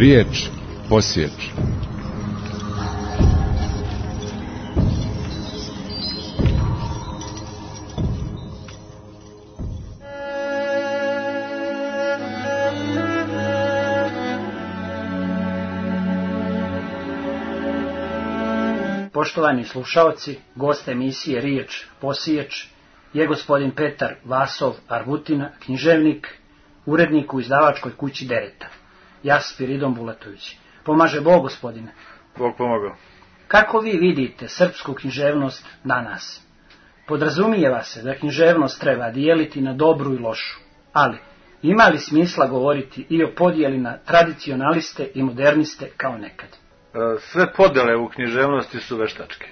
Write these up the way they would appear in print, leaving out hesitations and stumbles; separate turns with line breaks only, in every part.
Riječ posjeći.
Poštovani slušaoci, gost emisije Riječ posjeć je gospodin Petar Vasov Arvutina, književnik, urednik u izdavačkoj kući Dereta. Ja Spiridon Bulatović. Pomaže Bog, gospodine.
Bog pomogao.
Kako vi vidite srpsku književnost danas? Podrazumijeva se da književnost treba dijeliti na dobru i lošu, ali ima li smisla govoriti i o podjeli na tradicionaliste i moderniste kao nekad?
Sve podjele u književnosti su veštačke.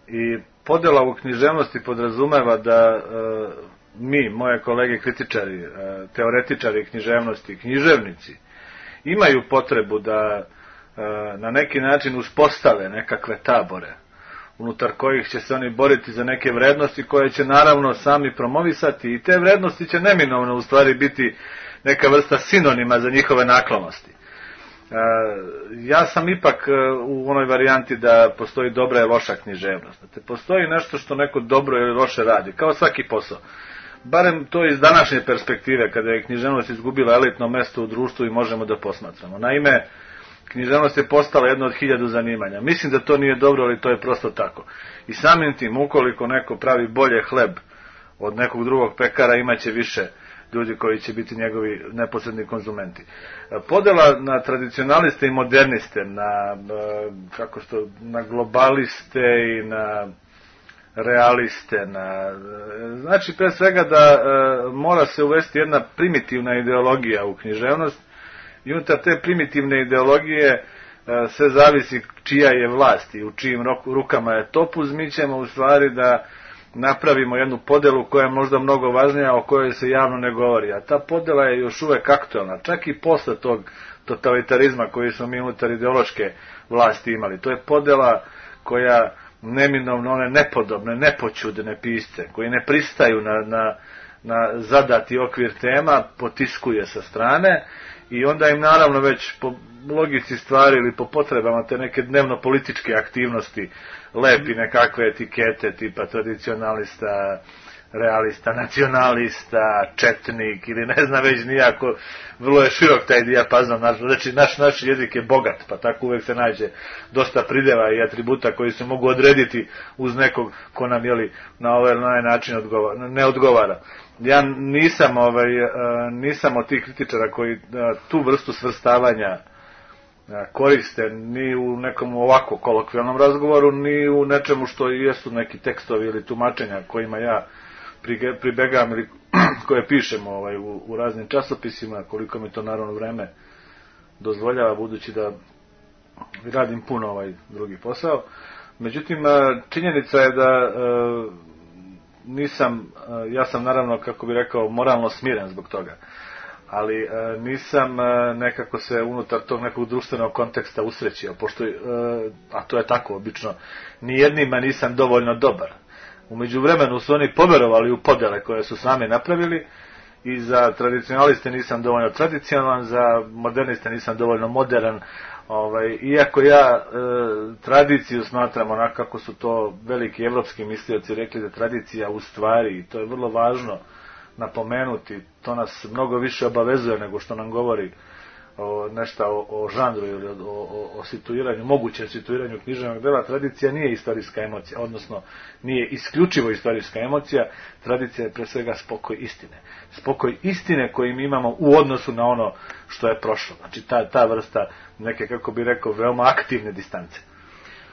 I podjela u književnosti podrazumeva da mi, moje kolege kritičari, teoretičari književnosti, književnici, imaju potrebu da na neki način uspostave nekakve tabore, unutar kojih će se oni boriti za neke vrednosti koje će naravno sami promovisati, i te vrednosti će neminovno u stvari biti neka vrsta sinonima za njihove naklonosti. Ja sam ipak u onoj varijanti da postoji dobra i loša književnost. Znate, postoji nešto što neko dobro ili loše radi, kao svaki posao. Barem to iz današnje perspektive, kada je književnost izgubila elitno mesto u društvu i možemo da posmatramo. Naime, književnost je postala jedno od 1000 zanimanja. Mislim da to nije dobro, ali to je prosto tako. I samim tim, ukoliko neko pravi bolje hleb od nekog drugog pekara, imaće više ljudi koji će biti njegovi neposredni konzumenti. Podela na tradicionaliste i moderniste, na globaliste i na realiste, znači pre svega da mora se uvesti jedna primitivna ideologija u književnost, i unutar te primitivne ideologije sve zavisi čija je vlast i u čijim rukama je topuz. Mi ćemo u stvari da napravimo jednu podelu koja je možda mnogo važnija, o kojoj se javno ne govori, a ta podela je još uvek aktualna, čak i posle tog totalitarizma koji smo mi unutar ideološke vlasti imali. To je podela koja neminovno one nepodobne, nepoćudne pisce, koji ne pristaju na zadati okvir tema, potiskuje sa strane, i onda im naravno već po logici stvari ili po potrebama te neke dnevno-političke aktivnosti lepi nekakve etikete tipa tradicionalista, realista, nacionalista, četnik ili ne znam već nijako. Vrlo je širok taj dijapazon, znači naš jezik je bogat, pa tako uvek se nađe dosta prideva i atributa koji se mogu odrediti uz nekog ko nam na ovaj način ne odgovara. Ja nisam od tih kritičara koji tu vrstu svrstavanja koriste ni u nekom ovako kolokvijalnom razgovoru, ni u nečemu što jesu neki tekstovi ili tumačenja kojima ja pribegavam ili koje pišem u raznim časopisima, koliko mi to naravno vreme dozvoljava, budući da radim puno drugi posao. Međutim, činjenica je da ja sam naravno, kako bi rekao, moralno smiren zbog toga, ali nisam nekako se unutar tog nekog društvenog konteksta usrećio, pošto, a to je tako obično, nijednima nisam dovoljno dobar. U međuvremenu su oni poverovali u podele koje su sami napravili, i za tradicionaliste nisam dovoljno tradicionalan, za moderniste nisam dovoljno modern. Iako ja tradiciju smatram onako kako su to veliki evropski mislioci rekli, da tradicija u stvari, i to je vrlo važno napomenuti, to nas mnogo više obavezuje nego što nam govori nešto o žanru ili o situiranju, mogućem situiranju književnog dela. Tradicija nije istorijska emocija, odnosno nije isključivo istorijska emocija. Tradicija je pre svega spokoj istine. Spokoj istine koji mi imamo u odnosu na ono što je prošlo. Znači ta vrsta neke, kako bi rekao, veoma aktivne distance.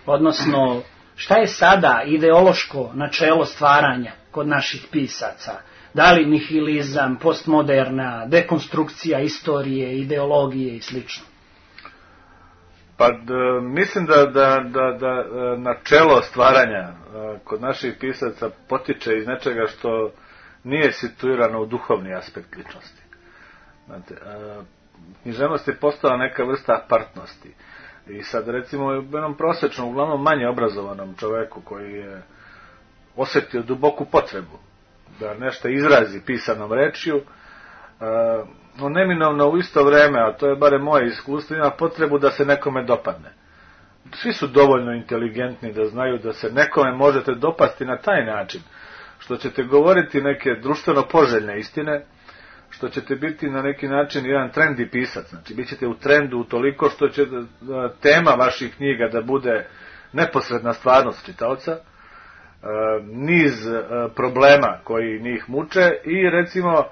Odnosno, šta je sada ideološko načelo stvaranja kod naših pisaca? Da li nihilizam, postmoderna, dekonstrukcija istorije, ideologije i sl.?
Pa mislim da načelo stvaranja kod naših pisaca potiče iz nečega što nije situirano u duhovni aspekt ličnosti. Znate, književnost je postala neka vrsta apartnosti. I sad recimo jednom prosječnom, uglavnom manje obrazovanom čoveku koji je osjetio duboku potrebu da nešto izrazi pisanom rečju, on neminovno u isto vreme, a to je barem moje iskustvo, ima potrebu da se nekome dopadne. Svi su dovoljno inteligentni da znaju da se nekome možete dopasti na taj način, što ćete govoriti neke društveno poželjne istine, što ćete biti na neki način jedan trendi pisac, znači bit ćete u trendu utoliko što će tema vaših knjiga da bude neposredna stvarnost čitaoca, niz problema koji njih muče i recimo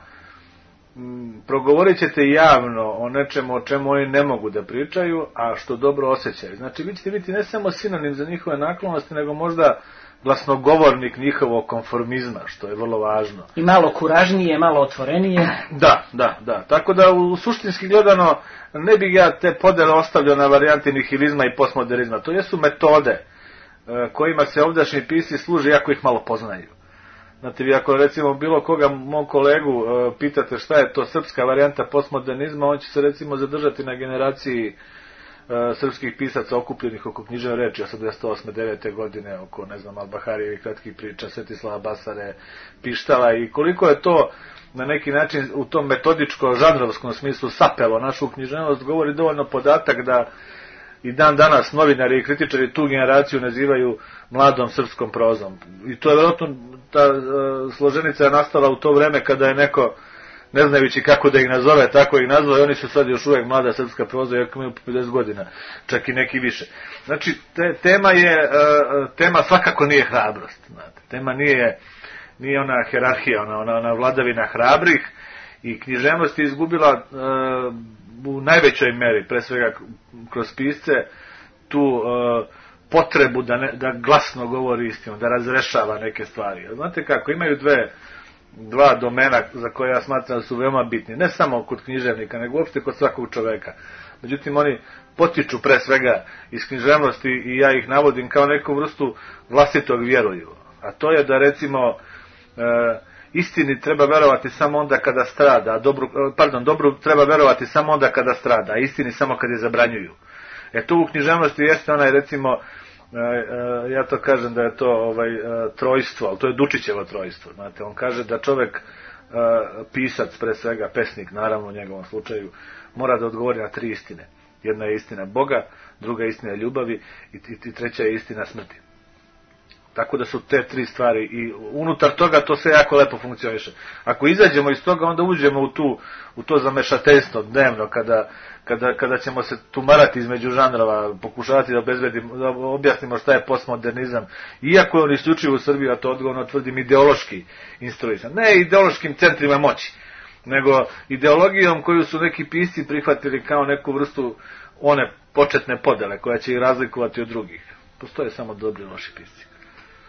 progovorit ćete javno o nečemu o čemu oni ne mogu da pričaju, a što dobro osjećaju. Znači vi ćete biti ne samo sinonim za njihove naklonosti, nego možda glasnogovornik njihovog konformizma, što je vrlo važno.
I malo kuražnije, malo otvorenije.
Da. Tako da u suštinski gledano ne bih ja te podele ostavljao na varijanti nihilizma i postmodernizma. To jesu metode kojima se ovdašnji pisci služe, jako ih malo poznaju. Znate, vi ako recimo bilo koga, mog kolegu, pitate šta je to srpska varijanta postmodernizma, on će se recimo zadržati na generaciji srpskih pisaca okupljenih oko književne reči 88. 9. godine, oko, ne znam, Al-Baharijevih kratkih priča, Svetislava Basare, Pištala, i koliko je to na neki način u tom metodičko-žanrovskom smislu sapelo našu književnost, govori dovoljno podatak da i dan danas novinari i kritičari tu generaciju nazivaju mladom srpskom prozom. I to je vjerojatno, ta složenica je nastala u to vreme kada je neko, ne znajući kako da ih nazove, tako ih nazvao, i oni su sad još uvijek mlada srpska proza, iako imaju po 50 godina, čak i neki više. Znači, tema svakako nije hrabrost. Znate. Tema nije ona herarhija, ona vladavina hrabrih, i književnost je izgubila u najvećoj meri, pre svega kroz pisce, tu potrebu da glasno govori istinu, da razrešava neke stvari. Znate kako, imaju dva domena za koje ja smatram da su veoma bitni, ne samo kod književnika, nego uopšte kod svakog čoveka. Međutim, oni potiču pre svega iz književnosti i ja ih navodim kao neku vrstu vlastitog vjeruju. A to je da recimo istini treba verovati samo onda kada strada, dobru treba verovati samo onda kada strada, a istini samo kad je zabranjuju. Tu u književnosti jeste onaj, recimo, ja to kažem da je to trojstvo, ali to je Dučićevo trojstvo. Znate, on kaže da čovek, pisac pre svega, pesnik naravno u njegovom slučaju, mora da odgovori na 3 istine. Jedna je istina Boga, druga je istina ljubavi i treća je istina smrti. Tako da su te 3 stvari i unutar toga to sve jako lepo funkcioniše. Ako izađemo iz toga, onda uđemo u to zamešateljstvo dnevno, kada ćemo se tumarati između žanrova, pokušavati da objasnimo šta je postmodernizam, iako je on isključivo u Srbiji, a to odgovorno tvrdim, ideološki instruisan. Ne ideološkim centrima moći, nego ideologijom koju su neki pisci prihvatili kao neku vrstu one početne podele koja će ih razlikovati od drugih. Postoje samo dobri i loši pisci.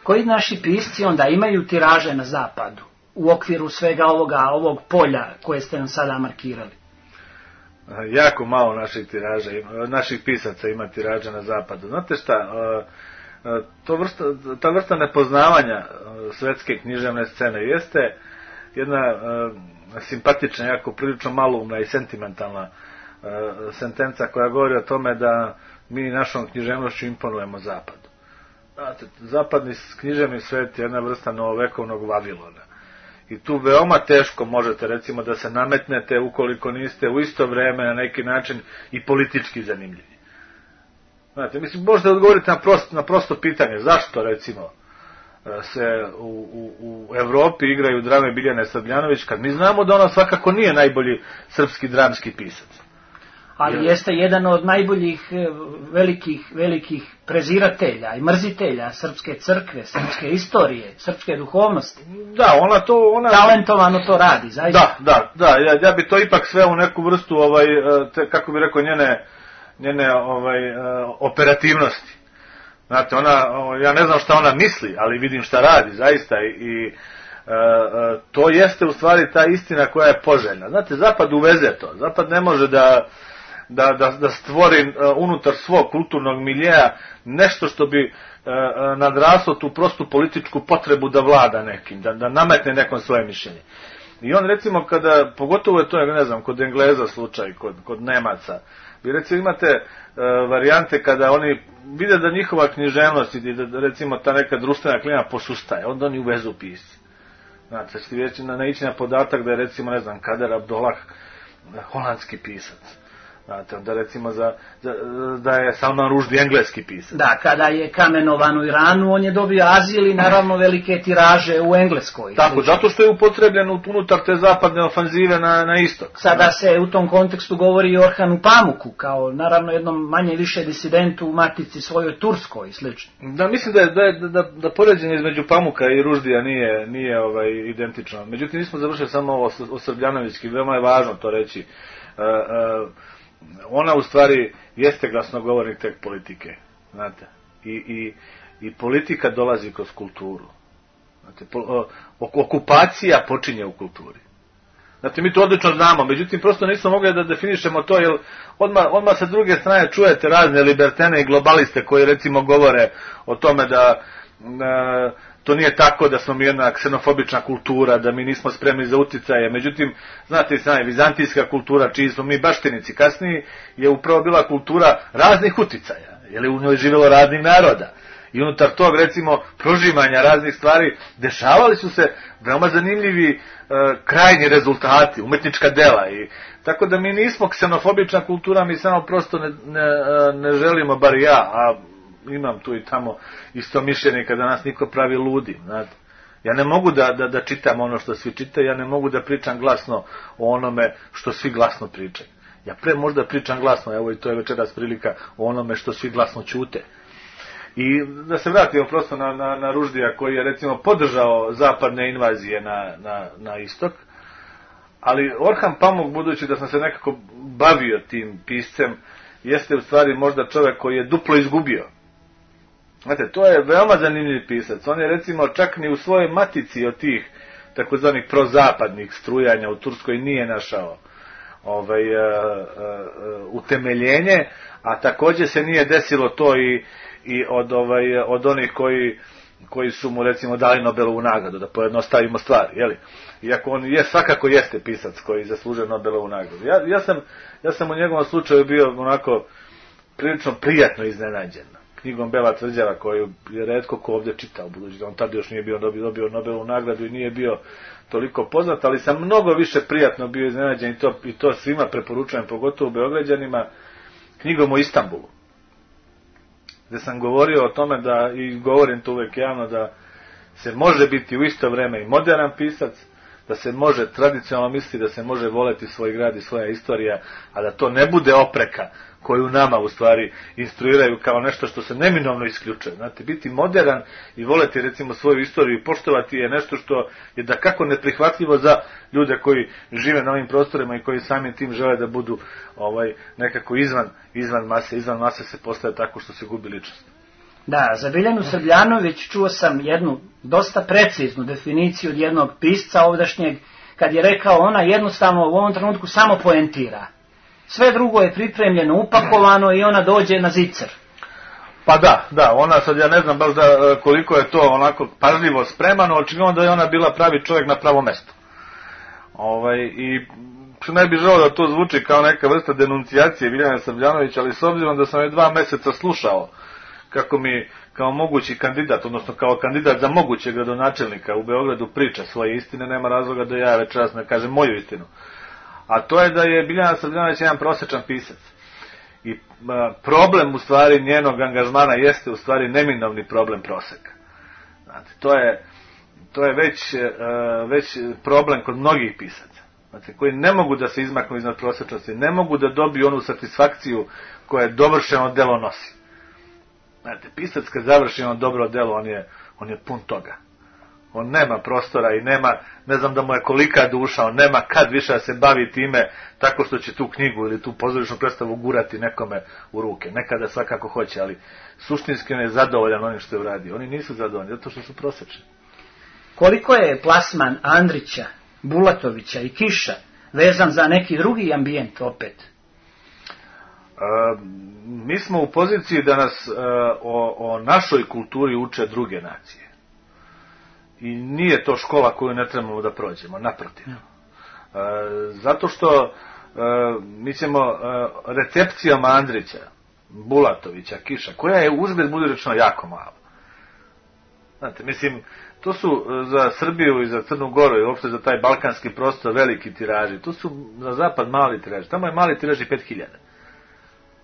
Koji naši pisci onda imaju tiraže na zapadu u okviru svega ovog polja koje ste nam sada markirali?
Jako malo naših pisaca ima tiraža na zapadu. Znate šta, ta vrsta nepoznavanja svetske književne scene jeste jedna simpatična, jako prilično maloumna i sentimentalna sentenca koja govori o tome da mi našom književnošću imponujemo zapadu. Znate, zapadni književni svet je jedna vrsta novovekovnog Vavilona. I tu veoma teško možete, recimo, da se nametnete ukoliko niste u isto vreme na neki način i politički zanimljivi. Znate, mislim, možete odgovoriti na prosto pitanje. Zašto, recimo, se u Evropi igraju drame Biljane Srbljanović, kad mi znamo da ona svakako nije najbolji srpski dramski pisac.
Ali jeste jedan od najboljih velikih preziratelja i mrzitelja srpske crkve, srpske istorije, srpske duhovnosti.
Da, ona
talentovano to radi, zaista.
Da, ja bi to ipak sve u neku vrstu, kako bi rekao, njene operativnosti. Znate, ja ne znam šta ona misli, ali vidim šta radi, zaista, i to jeste u stvari ta istina koja je poželjna. Znate, Zapad uveze to. Zapad ne može da stvori unutar svog kulturnog miljeja nešto što bi nadraslo tu prostu političku potrebu da vlada nekim, da nametne nekom svoje mišljenje. I on, recimo, pogotovo je to, ne znam, kod Engleza slučaj, kod Nemaca, vi recimo imate varijante kada oni vide da njihova književnost i da, recimo, ta neka društvena klima posustaje, onda oni uvezu pisci. Znate, ćete naići na podatak da je, recimo, ne znam, Kader Abdolah holandski pisac. Znate, onda recimo da je Salman Rushdie engleski pisac.
Da, kada je kamenovan u Iranu, on je dobio azil i naravno velike tiraže u Engleskoj.
Tako, zato što je upotrebljen unutar te zapadne ofanzive na istok.
Sada se u tom kontekstu govori i o Orhanu Pamuku, kao naravno jednom manje više disidentu u matici svojoj Turskoj i slično.
Da, mislim da poređenje između Pamuka i Rushdija nije identično. Međutim, nismo završili samo ovo o Srbljanovićki, veoma je važno to reći. Ona u stvari jeste glasnogovornik tek politike, znate, i politika dolazi kroz kulturu. Znate, okupacija počinje u kulturi. Znate, mi to odlično znamo, međutim, prosto nismo mogli da definišemo to, jer odmah sa druge strane čujete razne libertene i globaliste koji recimo govore o tome da to nije tako, da smo mi jedna ksenofobična kultura, da mi nismo spremni za uticaje. Međutim, znate i sami, vizantijska kultura, čiji smo mi baštinici kasniji, je upravo bila kultura raznih uticaja, jer je u njoj živjelo raznih naroda. I unutar tog, recimo, prožimanja raznih stvari, dešavali su se veoma zanimljivi krajnji rezultati, umetnička dela. Tako da mi nismo ksenofobična kultura, mi samo prosto ne želimo, bar ja, a imam tu i tamo isto mišljenje kada nas niko pravi ludim, znate. Ja ne mogu da čitam ono što svi čitaju, ja ne mogu da pričam glasno o onome što svi glasno pričaju. Ja možda pričam glasno, evo i to je večeras prilika, o onome što svi glasno ćute. I da se vratimo prosto na Rushdija, koji je recimo podržao zapadne invazije na istok, ali Orhan Pamuk, budući da sam se nekako bavio tim piscem, jeste u stvari možda čovjek koji je duplo izgubio. Znate, to je veoma zanimljiv pisac. On je recimo čak ni u svojoj matici od tih takozvanih prozapadnih strujanja u Turskoj nije našao utemeljenje, a također se nije desilo to i od onih koji su mu recimo dali Nobelovu nagradu, da pojednostavimo stvar, jeli? Iako on svakako jeste pisac koji zaslužuje Nobelovu nagradu. Ja sam u njegovom slučaju bio onako prilično prijatno iznenađen knjigom Bela tvrđava, koju je retko ko ovdje čitao, budući da on tad još nije dobio Nobelovu nagradu i nije bio toliko poznat, ali sam mnogo više prijatno bio iznenađen i to svima preporučujem, pogotovo Beograđanima, knjigom o Istanbulu, gdje sam govorio o tome i govorim to uvijek javno, da se može biti u isto vrijeme i moderan pisac, da se može tradicionalno misliti, da se može voleti svoj grad i svoja istorija, a da to ne bude opreka koju nama u stvari instruiraju kao nešto što se neminovno isključuje. Znate, biti modern i voleti recimo svoju istoriju i poštovati je nešto što je dakako neprihvatljivo za ljude koji žive na ovim prostorima i koji samim tim žele da budu nekako izvan mase. Izvan mase se postaje tako što se gubi ličnost.
Da, za Biljanu Srbljanović čuo sam jednu dosta preciznu definiciju od jednog pisca ovdašnjeg, kad je rekao ona jednostavno u ovom trenutku samo poentira. Sve drugo je pripremljeno, upakovano i ona dođe na zicer.
Pa da, ona sad ja ne znam baš koliko je to onako pažljivo spremano, očigledno da je ona bila pravi čovjek na pravo mesto. I ne bih želeo da to zvuči kao neka vrsta denuncijacije Biljane Srbljanović, ali s obzirom da sam je 2 mjeseca slušao kako mi kao mogući kandidat, odnosno kao kandidat za mogućeg gradonačelnika u Beogradu priča svoje istine, nema razloga da ja večeras ne kažem moju istinu. A to je da je Biljana Srbljanović jedan prosječan pisac. I problem u stvari njenog angažmana jeste u stvari neminovni problem proseka. Znate, to je već problem kod mnogih pisaca. Znate, koji ne mogu da se izmaknu iznad prosječnosti, ne mogu da dobiju onu satisfakciju koje dovršeno delo nosi. Znate, pisac kad završi ono dobro delo, on je pun toga. On nema prostora i nema, ne znam da mu je kolika duša, on nema kad više da se bavi time tako što će tu knjigu ili tu pozorišnu predstavu gurati nekome u ruke. Nekada svakako hoće, ali suštinski on je zadovoljan onim što je uradio. Oni nisu zadovoljni, zato što su prosječni.
Koliko je plasman Andrića, Bulatovića i Kiša vezan za neki drugi ambijent opet?
Mi smo u poziciji da nas o našoj kulturi uče druge nacije. I nije to škola koju ne trebamo da prođemo, naprotiv. Zato što mi ćemo recepcijama Andrića, Bulatovića, Kiša, koja je uzgled budi rečeno jako mala. Znate, mislim, to su za Srbiju i za Crnu Goru i uopšte za taj balkanski prostor veliki tiraži. To su za zapad mali tiraži. Tamo je mali tiraž i 5000.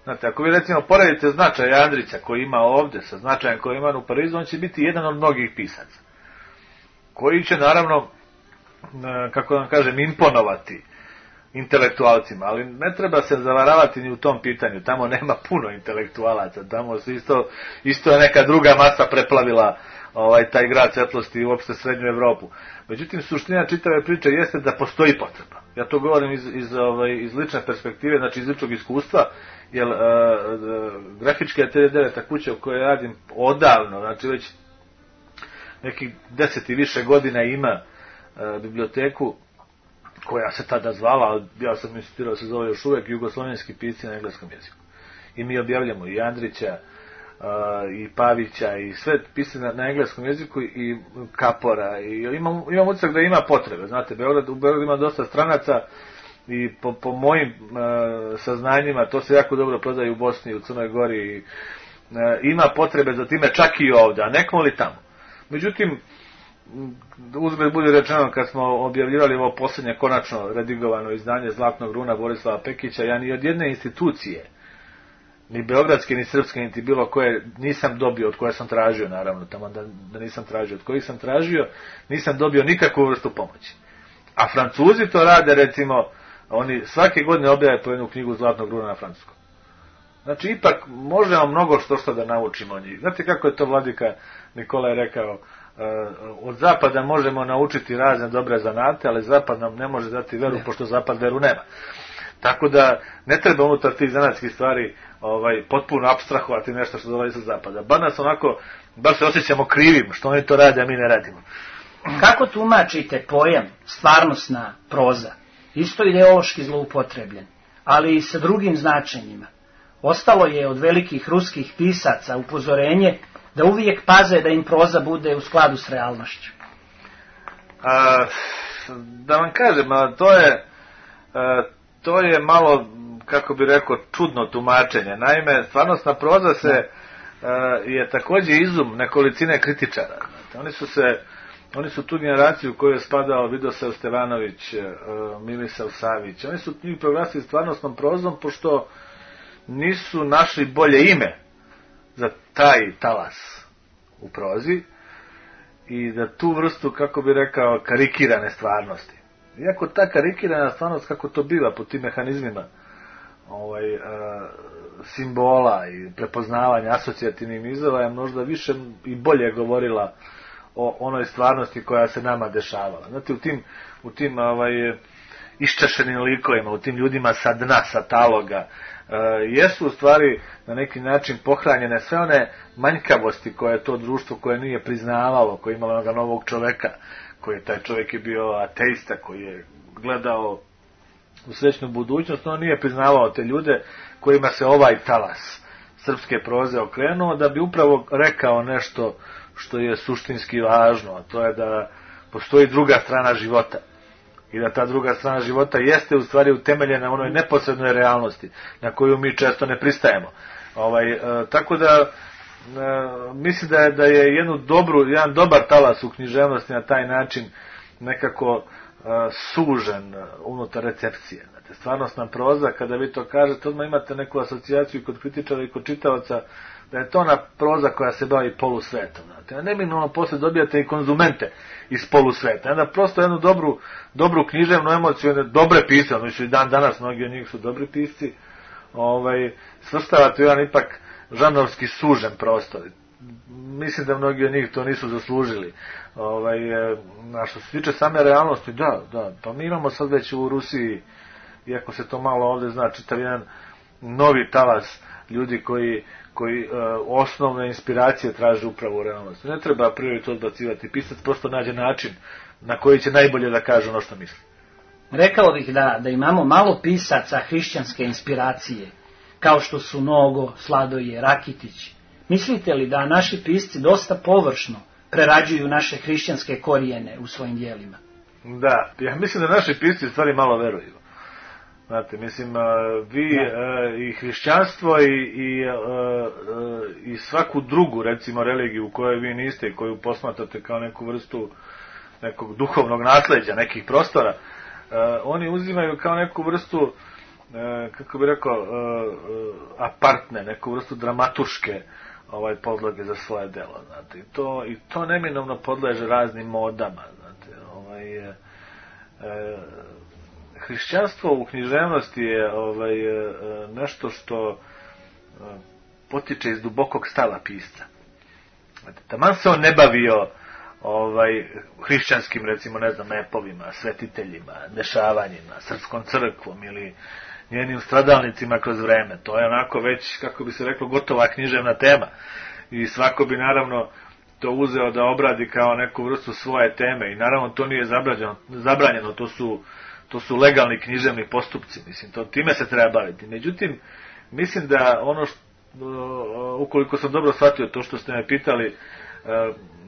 Znate, ako vi recimo poredite značaj Andrića koji ima ovde sa značajem koji ima u Parizu, on će biti jedan od mnogih pisaca. Koji će naravno, kako vam kažem, imponovati intelektualcima, ali ne treba se zavaravati ni u tom pitanju. Tamo nema puno intelektualaca, tamo se isto je neka druga masa preplavila taj grad svetlosti i uopšte srednju Evropu. Međutim, suština čitave priče jeste da postoji potreba. Ja to govorim iz lične perspektive, znači iz ličnog iskustva, jer grafička 39. kuća u kojoj radim odavno, znači već nekih 10 i više godina ima biblioteku koja se tada zvala, ja sam insistirao se zove još uvek Jugoslovenski pisci na engleskom jeziku. I mi objavljamo i Andrića, i Pavića, i sve pisci na engleskom jeziku, i Kapora, i imam utisak da ima potrebe. Znate, u Beogradu ima dosta stranaca i po mojim saznanjima to se jako dobro prodaje u Bosni, u Crnoj Gori, i ima potrebe za time čak i ovde, a nekmo li tamo. Međutim, uzgled bude rečeno, kad smo objavljivali ovo posljednje konačno redigovano izdanje Zlatnog runa Borislava Pekića, ja ni od jedne institucije, ni beogradske, ni srpske, niti bilo koje, nisam dobio, od koje sam tražio, naravno, tamo da nisam tražio, od kojih sam tražio, nisam dobio nikakvu vrstu pomoći. A Francuzi to rade, recimo, oni svake godine objave po jednu knjigu Zlatnog runa na francuskom. Znači, ipak možemo mnogo što da naučimo od njih. Znate kako je to vladika Nikola je rekao, od zapada možemo naučiti razne dobre zanate, ali zapad nam ne može dati veru, pošto zapad veru nema. Tako da ne treba unutar tih zanatskih stvari potpuno apstrahovati nešto što dolazi sa zapada. Bar nas onako, bar se osjećamo krivim što oni to rade, a mi ne radimo.
Kako tumačite pojam stvarnosna proza? Isto ideološki zloupotrebljen, ali i sa drugim značenjima. Ostalo je od velikih ruskih pisaca upozorenje da uvijek paze da im proza bude u skladu s realnošću.
Da vam kažem, to je malo, kako bi rekao, čudno tumačenje. Naime, stvarnostna proza je također izum nekolicine kritičara. Oni su tu generaciju u kojoj je spadao Vidosav Stevanović, Milisav Savić. Oni su njih proglasili stvarnostnom prozom, pošto nisu našli bolje ime za taj talas u prozi i da tu vrstu, kako bi rekao, karikirane stvarnosti. Iako ta karikirana stvarnost, kako to biva po tim mehanizmima simbola i prepoznavanja asocijativnih nizova, je možda više i bolje govorila o onoj stvarnosti koja se nama dešavala. Znate, u tim iščešenim likovima, u tim ljudima sa dna, sa taloga, jesu u stvari na neki način pohranjene sve one manjkavosti koje je to društvo koje nije priznavalo, koje je imalo onoga novog čoveka, koji taj čovjek je bio ateista, koji je gledao u srećnu budućnost, on nije priznavao te ljude kojima se ovaj talas srpske proze okrenuo, da bi upravo rekao nešto što je suštinski važno, a to je da postoji druga strana života. I da ta druga strana života jeste u stvari utemeljena na onoj neposrednoj realnosti na koju mi često ne pristajemo. Tako da mislim da je jedan dobar talas u književnosti na taj način nekako sužen unutar recepcije. Znate, stvarnostna proza, kada vi to kažete, odmah imate neku asocijaciju kod kritičara i kod čitavaca da je to ona proza koja se bavi polusvetom. Znate, neminovno posle dobijate i konzumente iz polusveta. Onda prosto jednu dobru književnu emociju, dobre pisce, i dan danas mnogi od njih su dobri pisci, svrstavate jedan ipak žanrovski sužen prostor. Mislim da mnogi od njih to nisu zaslužili. A što se tiče same realnosti, da, pa mi imamo sad već u Rusiji, iako se to malo ovde zna, čitav jedan novi talas ljudi koji osnovne inspiracije traže upravo u realnosti. Ne treba a priori to odbacivati. Pisac prosto nađe način na koji će najbolje da kaže ono što misli.
Rekao bih da imamo malo pisaca hrišćanske inspiracije, kao što su Nogo, Sladoje, Rakitić. Mislite li da naši pisci dosta površno prerađuju naše hrišćanske korijene u svojim dijelima?
Da, ja mislim da naši pisci u stvari malo veruju. Znate, mislim, vi i hrišćanstvo i i svaku drugu, recimo, religiju u kojoj vi niste i koju posmatrate kao neku vrstu nekog duhovnog nasleđa, nekih prostora, oni uzimaju kao neku vrstu, kako bi rekao, apartne, neku vrstu dramatuške podloge za svoje delo, znate. I to neminovno podleže raznim modama, znate. Hrišćanstvo u književnosti je nešto što potiče iz dubokog stava pisca. Taman se on ne bavio hrišćanskim, recimo, ne znam, epovima, svetiteljima, dešavanjima, srpskom crkvom ili njenim stradalnicima kroz vreme. To je onako već, kako bi se reklo, gotova književna tema. I svako bi naravno to uzeo da obradi kao neku vrstu svoje teme. I naravno to nije zabranjeno, to su legalni književni postupci. Mislim, time se treba baviti. Međutim, mislim da ono ukoliko sam dobro shvatio to što ste me pitali,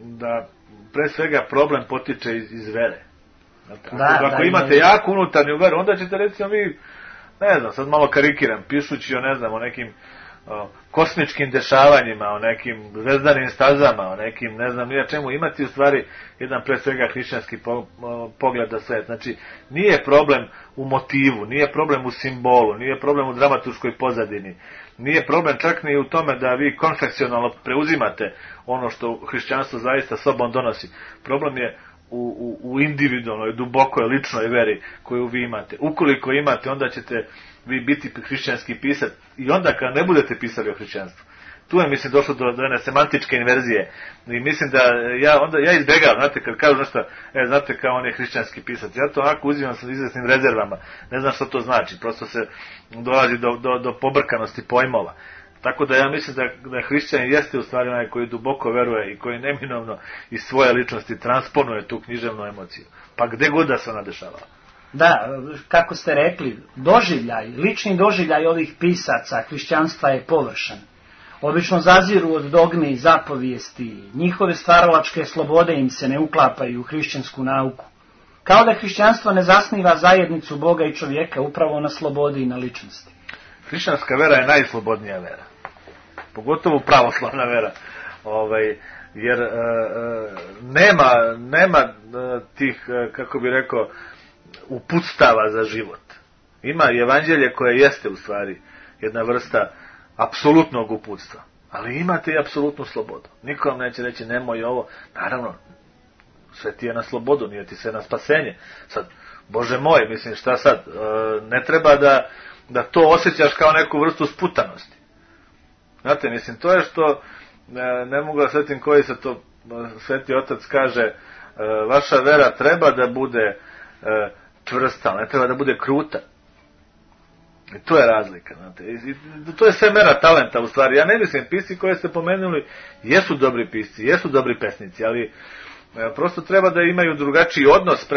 da pre svega problem potiče iz vere. Ako imate jaku unutarnju veru, onda ćete, recimo, vi, ne znam, sad malo karikiram, pišući o nekim kosmičkim dešavanjima, o nekim zvezdanim stazama, o nekim, ne znam nija čemu, imati u stvari jedan pre svega hrišćanski pogled na svet. Znači, nije problem u motivu, nije problem u simbolu, nije problem u dramaturškoj pozadini, nije problem čak ni u tome da vi konfeksionalno preuzimate ono što hrišćanstvo zaista sobom donosi. Problem je u individualnoj, dubokoj, ličnoj veri koju vi imate. Ukoliko imate, onda ćete vi biti hrišćanski pisac i onda kad ne budete pisali o hrišćanstvu. Tu je, mislim, došlo do jedne semantičke inverzije i mislim da ja izbjegavam, znate, kad kažu nešto, znate, kao on je hrišćanski pisac, ja to onako uzimam sa izvesnim rezervama, ne znam što to znači, prosto se dolazi do pobrkanosti pojmova. Tako da ja mislim da hrišćan jeste u stvari onaj koji duboko veruje i koji neminovno iz svoje ličnosti transponuje tu književnu emociju. Pa gde god da se ona dešavala.
Da, kako ste rekli, lični doživljaj ovih pisaca hrišćanstva je površan. Obično zaziru od dogme i zapovijesti, njihove stvaralačke slobode im se ne uklapaju u hrišćansku nauku. Kao da hrišćanstvo ne zasniva zajednicu Boga i čovjeka upravo na slobodi i na ličnosti.
Hrišćanska vera je najslobodnija vera. Pogotovo pravoslavna vera. Jer nema tih, kako bi rekao, uputstava za život. Ima evanđelje koje jeste u stvari jedna vrsta apsolutnog uputstva. Ali imate i apsolutnu slobodu. Niko vam neće reći nemoj ovo. Naravno, sve ti je na slobodu, nije ti sve na spasenje. Sad, Bože moj, mislim, šta sad? Ne treba da to osjećaš kao neku vrstu sputanosti. Znate, mislim, to je što ne mogu da svetim koji se to Sveti Otac kaže, vaša vera treba da bude čvrsta, ne treba da bude kruta. I to je razlika, znate. I to je sve mera talenta u stvari. Ja ne mislim, pisci koje ste pomenuli jesu dobri pisci, jesu dobri pesnici, ali prosto treba da imaju drugačiji odnos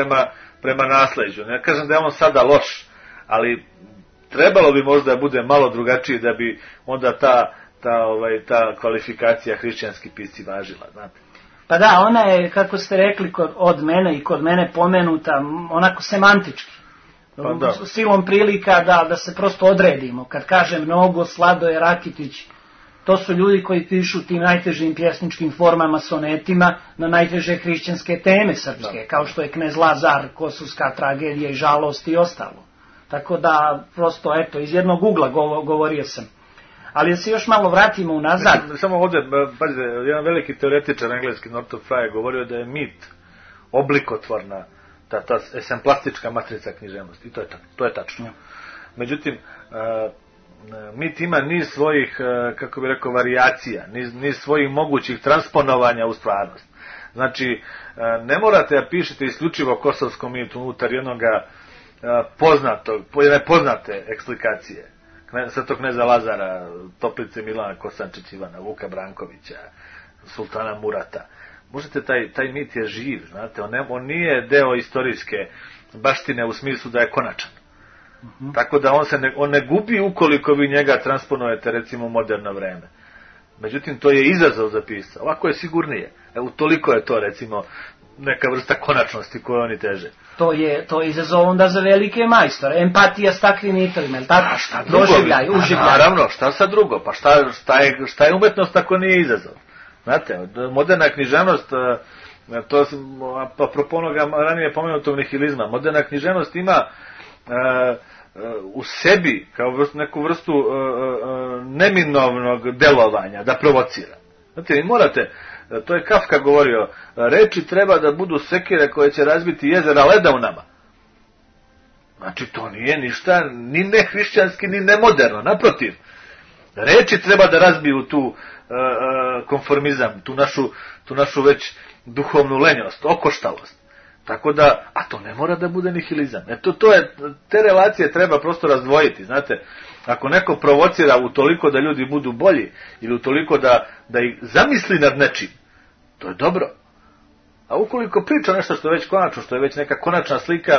prema nasleđu. Ne kažem da je on sada loš, ali trebalo bi možda da bude malo drugačiji da bi onda ta kvalifikacija hrišćanski pisci važila, znate.
Pa da, ona je, kako ste rekli, od mene i kod mene pomenuta onako semantički. Pa silom prilika da se prosto odredimo. Kad kažem mnogo, Sladoje Rakitić, to su ljudi koji pišu tim najtežim pjesničkim formama, sonetima, na najteže hrišćanske teme srpske, kao što je Knez Lazar, Kosovska tragedija i žalost i ostalo. Tako da, prosto, eto, iz jednog ugla govorio sam. Ali da se još malo vratimo unazad.
Samo ovdje, pazite, jedan veliki teoretičar engleski, Northrop Frye, govorio da je mit oblikotvorna, ta esemplastička matrica književnosti. I to je tačno. Međutim, mit ima niz svojih, kako bi rekao, varijacija, niz svojih mogućih transponovanja u stvarnost. Znači, ne morate da pišete isključivo kosovskom mitu unutar jednoga poznate eksplikacije. Svetog kneza Lazara, Toplice Milana Kosančić Ivana, Vuka Brankovića, Sultana Murata. Možete, taj mit je živ, znate, on nije deo istorijske baštine u smislu da je konačan. Tako da on ne gubi ukoliko vi njega transponujete, recimo, u moderno vreme. Međutim, to je izazov za pisca. Ovako je sigurnije. Toliko je to, recimo, neka vrsta konačnosti koju oni teže.
To je izazov onda za velike majstore. Empatija s takvim nitovima, je li tako?
Doživljaj, uživljaj. Naravno, šta sad drugo? Pa šta je umetnost ako nije izazov? Znate, moderna književnost, to apropo onoga ranije pomenutog nihilizma, moderna književnost ima u sebi kao neku vrstu neminovnog delovanja, da provocira. Znate, vi morate, to je Kafka govorio, reči treba da budu sekire koje će razbiti jezera leda u nama. Znači, to nije ništa, ni nehrišćanski, ni nemoderno, naprotiv. Reči treba da razbiju tu konformizam, tu našu već duhovnu lenjost, okoštalost. Tako da, a to ne mora da bude nihilizam. Te relacije treba prosto razdvojiti, znate. Ako neko provocira u toliko da ljudi budu bolji, ili u toliko da ih zamisli nad nečim, to je dobro. A ukoliko priča nešto što je već konačno, što je već neka konačna slika,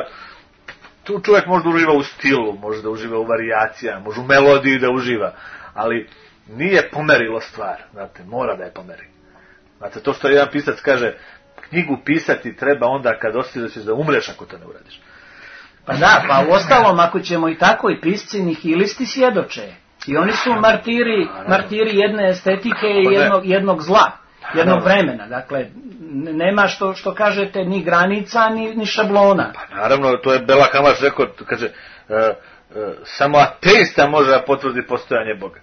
tu čovjek može da uživa u stilu, može da uživa u varijacijama, može u melodiji da uživa, ali nije pomerilo stvar, znate, mora da je pomeri. Znate, to što jedan pisac kaže, knjigu pisati treba onda kad osjetiš da ćeš da umreš ako to ne uradiš.
Pa da, pa u ostalom, ako ćemo i tako, i pisci nihilisti svjedoče. I oni su martiri jedne estetike i jednog zla, jednog vremena. Dakle, nema što kažete ni granica, ni šablona.
Pa naravno, to je Bela Hamaš rekao, kaže, samo ateista može da potvrdi postojanje Boga.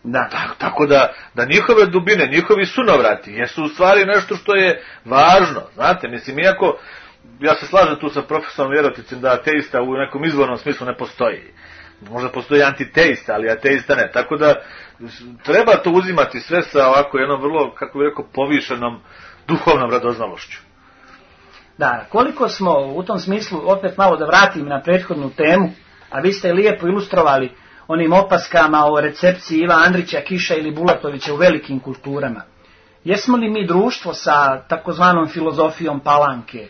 Da.
Tako da njihove dubine, njihovi sunovrati jesu u stvari nešto što je važno. Znate, mislim, iako ja se slažem tu sa profesorom Vjeroticim da ateista u nekom izvornom smislu ne postoji. Možda postoji antiteista, ali ateista ne. Tako da treba to uzimati sve sa ovako jednom vrlo, kako bih rekao, povišenom duhovnom radoznalošću.
Da, koliko smo u tom smislu, opet malo da vratim na prethodnu temu, a vi ste lijepo ilustrovali onim opaskama o recepciji Iva Andrića, Kiša ili Bulatovića u velikim kulturama. Jesmo li mi društvo sa takozvanom filozofijom Palanke?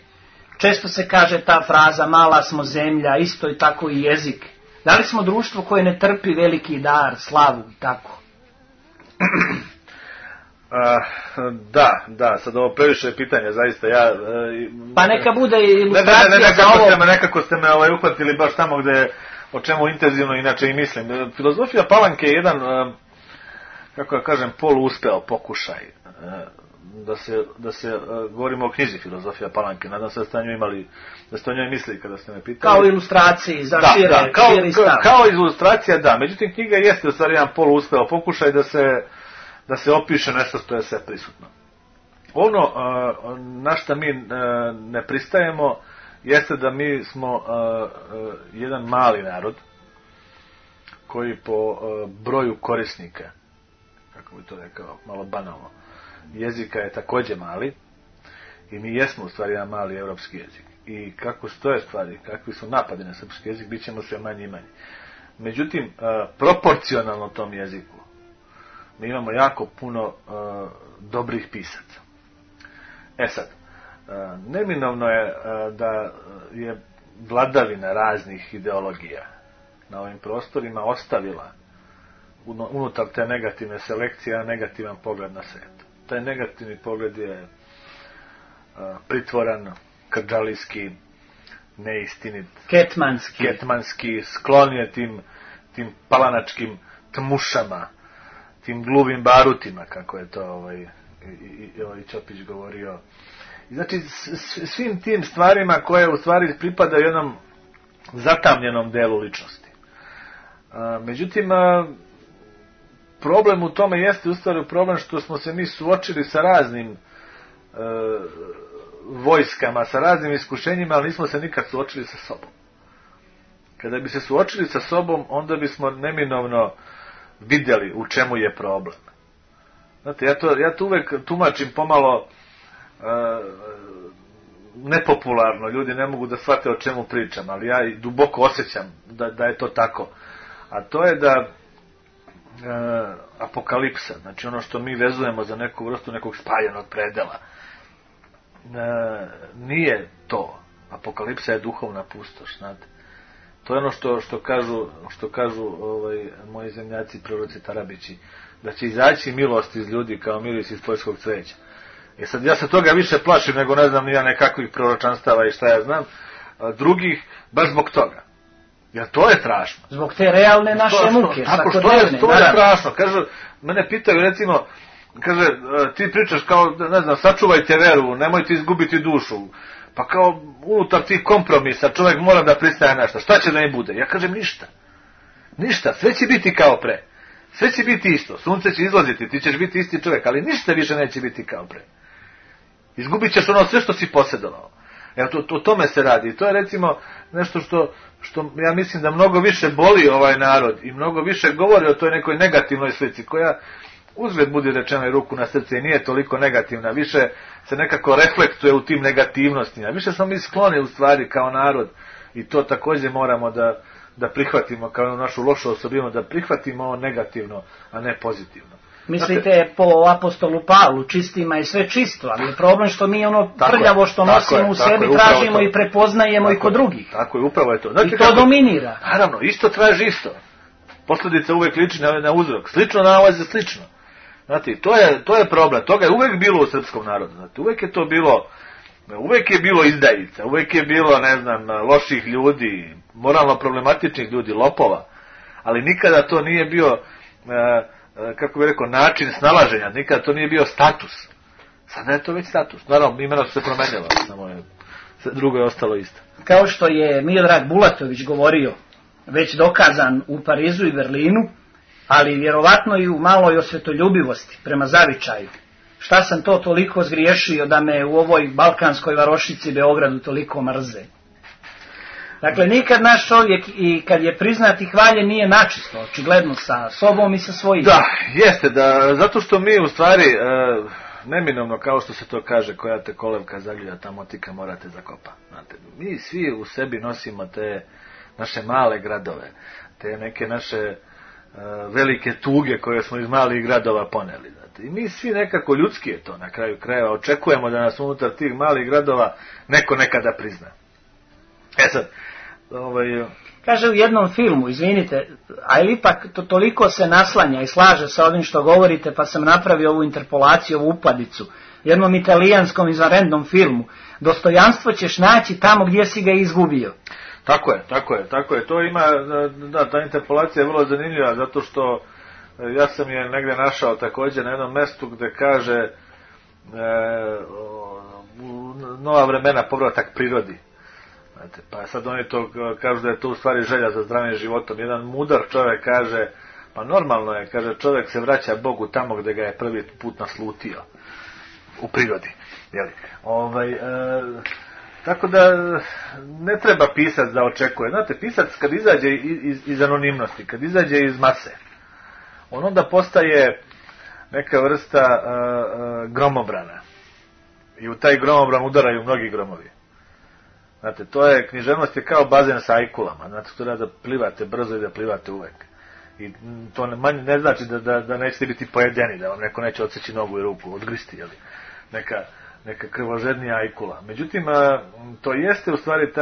Često se kaže ta fraza, mala smo zemlja, isto i tako i jezik. Da li smo društvo koje ne trpi veliki dar, slavu i tako?
Da, sad ovo previše pitanja, zaista ja...
Pa neka bude ilustracija za ovo.
Nekako ste me uhvatili baš tamo gde, o čemu intenzivno inače i mislim. Filozofija Palanke je jedan, kako ja kažem, poluuspeo pokušaj da se govorimo o knjizi Filozofija Palanke. Nadam se da ste o njoj mislili kada ste me pitali.
Kao ilustraciji za širi stav.
Kao ilustracija, da. Međutim, knjiga jeste u stvari jedan poluuspeo pokušaj da se opiše nešto što je sve prisutno. Ono na šta mi ne pristajemo jeste da mi smo jedan mali narod koji po broju korisnika, kako bi to rekao, malo banalno, jezika je također mali i mi jesmo u stvari jedan mali europski jezik. I kako stoje stvari, kakvi su napadi na srpski jezik, bit ćemo sve manji i manji. Međutim, proporcionalno tom jeziku mi imamo jako puno dobrih pisaca. Sad, neminovno je da je vladavina raznih ideologija na ovim prostorima ostavila unutar te negativne selekcije negativan pogled na svijet. Taj negativni pogled je pritvoran, krdžalijski, neistinit, ketmanski, sklon je tim palanačkim tmušama, tim gluvim barutima, kako je to i Ćopić govorio. I znači, svim tim stvarima koje u stvari pripadaju jednom zatamljenom delu ličnosti. Međutim, problem u tome jeste u stvari problem što smo se mi suočili sa raznim vojskama, sa raznim iskušenjima, ali nismo se nikad suočili sa sobom. Kada bi se suočili sa sobom, onda bismo neminovno vidjeli u čemu je problem. Znate, ja to uvek tumačim pomalo nepopularno, ljudi ne mogu da shvate o čemu pričam, ali ja duboko osjećam da je to tako. A to je da apokalipsa, znači ono što mi vezujemo za neku vrstu nekog spaljenog predela, nije to. Apokalipsa je duhovna pustoš, znate. To je ono što kažu moji zemljaci, proroci Tarabići, da će izaći milost iz ljudi kao miris iz poljskog cveća. Sad ja se toga više plašim nego ne znam ni ja nekakvih proročanstava i šta ja znam, drugih, baš zbog toga. Jer to je strašno.
Zbog te realne naše muke.
Tako što je strašno. Kažu, mene pitaju recimo, kaže, ti pričaš kao, ne znam, sačuvajte veru, nemojte izgubiti dušu. Pa kao unutar tih kompromisa čovjek mora da pristaje nešto. Šta će da ne bude? Ja kažem ništa. Ništa, sve će biti kao pre. Sve će biti isto. Sunce će izlaziti, ti ćeš biti isti čovjek, ali ništa više neće biti kao pre. Izgubit ćeš ono sve što si posjedovao. Evo, o tome se radi. I to je recimo nešto što ja mislim da mnogo više boli ovaj narod i mnogo više govori o toj nekoj negativnoj slici, koja uzgled budi rečeno i ruku na srce i nije toliko negativna, više se nekako reflektuje u tim negativnostima. Više smo mi skloni u stvari kao narod i to također moramo da prihvatimo kao našu lošu osobinu, da prihvatimo ovo negativno, a ne pozitivno.
Mislite po apostolu Pavlu, čistima je sve čisto, ali je problem što mi ono prljavo što nosimo u sebi tražimo i prepoznajemo i kod drugih.
Tako je, upravo je to.
Znate, i to dominira.
Naravno, isto traži isto. Posljedica uvijek liči na uzrok. Slično nalazi slično. Znate, to je problem. Toga je uvijek bilo u srpskom narodu. Znate, uvijek je bilo izdajica, uvijek je bilo, ne znam, loših ljudi, moralno problematičnih ljudi, lopova. Ali nikada to nije bio, kako bih rekao, način snalaženja. Nikada to nije bio status. Sada je to već status. Naravno, imena su se promenjala, samo je, drugo je ostalo isto.
Kao što je Miodrag Bulatović govorio, već dokazan u Parizu i Berlinu, ali vjerovatno i u maloj osvetoljubivosti prema zavičaju. Šta sam to toliko zgriješio da me u ovoj balkanskoj varošici Beogradu toliko mrze? Dakle, nikad naš čovjek i kad je priznat i hvaljen nije načisto, očigledno sa sobom i sa svojim.
Da, jeste, zato što mi u stvari, neminovno kao što se to kaže, koja te kolevka zagljuda, ta motika morate zakopa. Znate, mi svi u sebi nosimo te naše male gradove, te neke naše velike tuge koje smo iz malih gradova poneli. Znate. I mi svi nekako, ljudski je to na kraju krajeva, očekujemo da nas unutar tih malih gradova neko nekada prizna. Sad,
kaže u jednom filmu, izvinite, ali ipak to toliko se naslanja i slaže sa ovim što govorite, pa sam napravio ovu interpolaciju, ovu upadicu, jednom italijanskom izvanrednom filmu, dostojanstvo ćeš naći tamo gdje si ga izgubio.
Tako je. To ima, ta interpolacija je vrlo zanimljiva, zato što ja sam je negdje našao također na jednom mjestu gdje kaže nova vremena, povratak prirodi. Znate, pa sad oni to kažu da je to u stvari želja za zdravim životom. Jedan mudar čovjek kaže, pa normalno je, kaže, čovjek se vraća Bogu tamo gdje ga je prvi put naslutio, u prirodi. Jeli? Tako da ne treba pisac da očekuje. Znate, pisac kad izađe iz anonimnosti, kad izađe iz mase, on onda postaje neka vrsta gromobrana. I u taj gromobran udaraju mnogi gromovi. Znate, književnost je kao bazen sa ajkulama. Znate, to da plivate brzo i da plivate uvek. I to ne znači da nećete biti pojedeni, da vam neko neće odseći nogu i ruku, odgristi, jeli? Neka krvožednija ajkula. Međutim, to jeste u stvari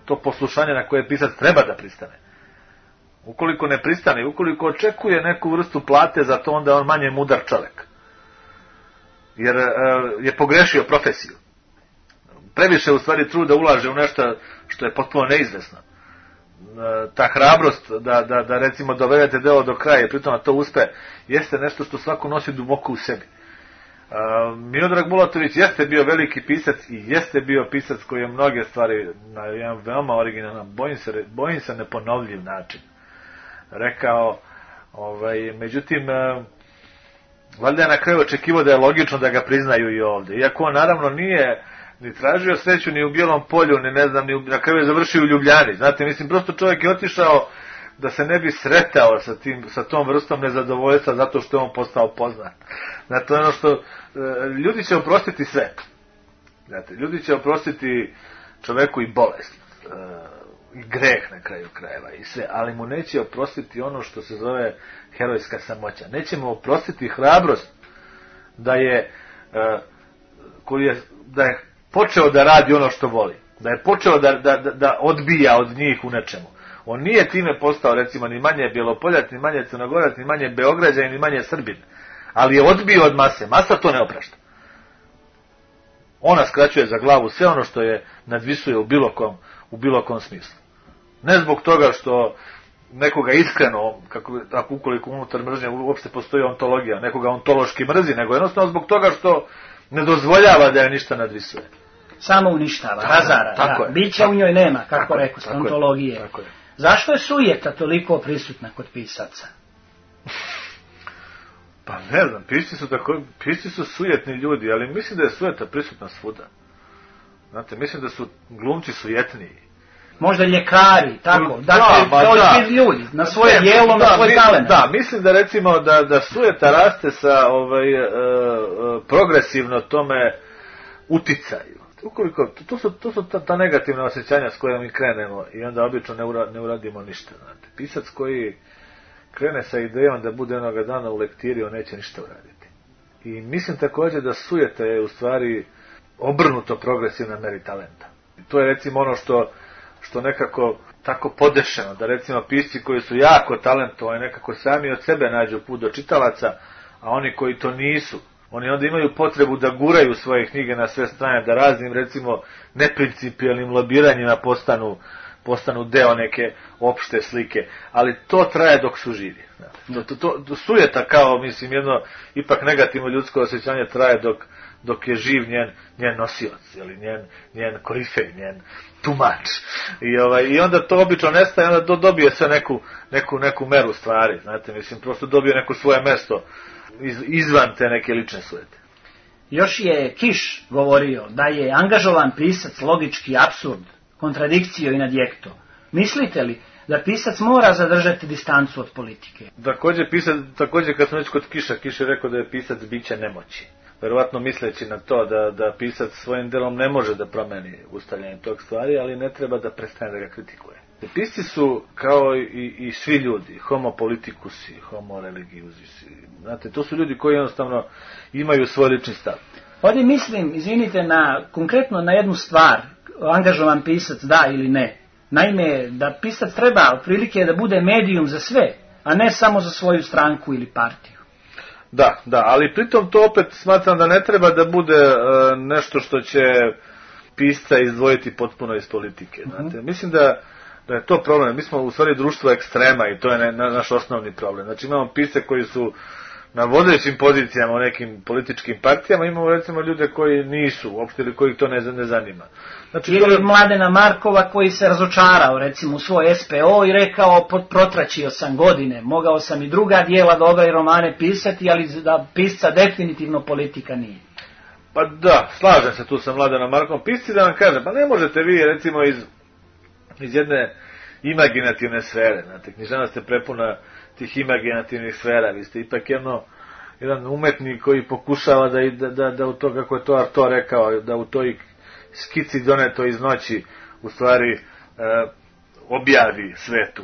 to poslušanje na koje pisac treba da pristane. Ukoliko ne pristane, ukoliko očekuje neku vrstu plate za to, onda je on manje mudar čovjek. Jer je pogrešio profesiju. Previše u stvari truda ulaže u nešto što je potpuno neizvesno. Ta hrabrost da recimo dovedete delo do kraja i pritom to uspe, jeste nešto što svako nosi duboko u sebi. Miodrag Bulatović jeste bio veliki pisac i jeste bio pisac koji je mnoge stvari na jedan veoma originalan, bojim se neponovljiv način rekao, međutim valjda je na kraju očekivao da je logično da ga priznaju i ovdje, iako on naravno nije ni tražio sreću ni u Bijelom polju, ni ne znam, ni na kraju je završio u Ljubljani. Znate, mislim, prosto čovjek je otišao da se ne bi sretao sa tom vrstom nezadovoljstva zato što je on postao poznat. Znate, ono što ljudi će oprostiti sve. Znate, ljudi će oprostiti čovjeku i bolest, i greh na kraju krajeva i sve, ali mu neće oprostiti ono što se zove herojska samoća. Neće mu oprostiti hrabrost da je počeo da radi ono što voli, da je počeo da odbija od njih u nečemu. On nije time postao, recimo, ni manje Bjelopoljac, ni manje Crnogorac, ni manje Beograđanin, ni manje Srbin, ali je odbio od mase. Masa to ne oprašta. Ona skraćuje za glavu sve ono što je nadvisuje u bilo kom smislu. Ne zbog toga što nekoga iskreno, ukoliko unutar mržnje uopšte postoji ontologija, nekoga ontološki mrzi, nego jednostavno zbog toga što ne dozvoljava da je ništa nadvisuje.
Samo uništava, razara.
Tako je.
Bića u njoj nema, kako rekao, ontologije.
Tako je.
Zašto je sujeta toliko prisutna kod pisaca?
Pa ne znam, pisci su sujetni ljudi, ali mislim da je sujeta prisutna svuda. Znate, mislim da su glumci sujetniji.
Možda ljekari, tako. Dakle, to svi ljudi, na svoje djelo, na svoj talent.
Da, mislim da recimo da sujeta raste sa progresivno tome uticaju. Ukoliko, to su ta negativna osjećanja s kojima mi krenemo i onda obično ne uradimo ništa. Znate. Pisac koji krene sa idejom da bude onoga dana u lektiri, on neće ništa uraditi. I mislim također da sujeta je u stvari obrnuto progresivna meri talenta. I to je recimo ono što nekako tako podešeno, da recimo pisci koji su jako talentovani nekako sami od sebe nađu put do čitalaca, a oni koji to nisu, oni onda imaju potrebu da guraju svoje knjige na sve strane, da raznim recimo neprincipijelnim lobiranjima postanu deo neke opšte slike, ali to traje dok su živi. To sujeta kao, mislim, jedno ipak negativno ljudsko osjećanje traje dok je živ njen nosilac, njen korifej, njen tumač. I onda to obično nestaje, onda to dobije sve neku meru stvari, znate, mislim, prosto dobije neko svoje mesto izvan te neke lične sujete.
Još je Kiš govorio da je angažovan pisac logički apsurd, kontradikcio i nadjekto. Mislite li da pisac mora zadržati distancu od politike?
Također kad smo već kod Kiša, Kiš je rekao da je pisac biće nemoći. Verovatno misleći na to da pisac svojim delom ne može da promeni ustavljanje tog stvari, ali ne treba da prestane da ga kritikuje. Pisci su kao i svi ljudi, homo politicusi, homo religiusi. Znate, to su ljudi koji jednostavno imaju svoj lični stav.
Ovdje mislim, izvinite, konkretno na jednu stvar, angažovan pisac da ili ne. Naime, da pisac treba otprilike da bude medijum za sve, a ne samo za svoju stranku ili partiju.
Da, ali pritom to opet smatram da ne treba da bude nešto što će pisca izdvojiti potpuno iz politike. Znate. Mislim da je to problem. Mi smo u stvari društvo ekstrema i to je naš osnovni problem. Znači imamo pisce koji su na vodećim pozicijama u nekim političkim partijama, imamo recimo ljude koji nisu uopšte ili kojih to ne zanima. Znači,
ili Mladena Markova koji se razočarao recimo u svoj SPO i rekao protračio sam godine, mogao sam i druga dijela dobra i romane pisati, ali da pisca definitivno politika nije.
Pa da, slažem se tu sa Mladenom Markovom. Pisci da vam kažem, pa ne možete vi recimo iz jedne imaginativne sfere, znate, književnost je prepuna tih imaginativnih sfera, vi ste ipak jedan umetnik koji pokušava da u to, kako je to Arto rekao, da u toj skici doneto iz noći u stvari objavi svetu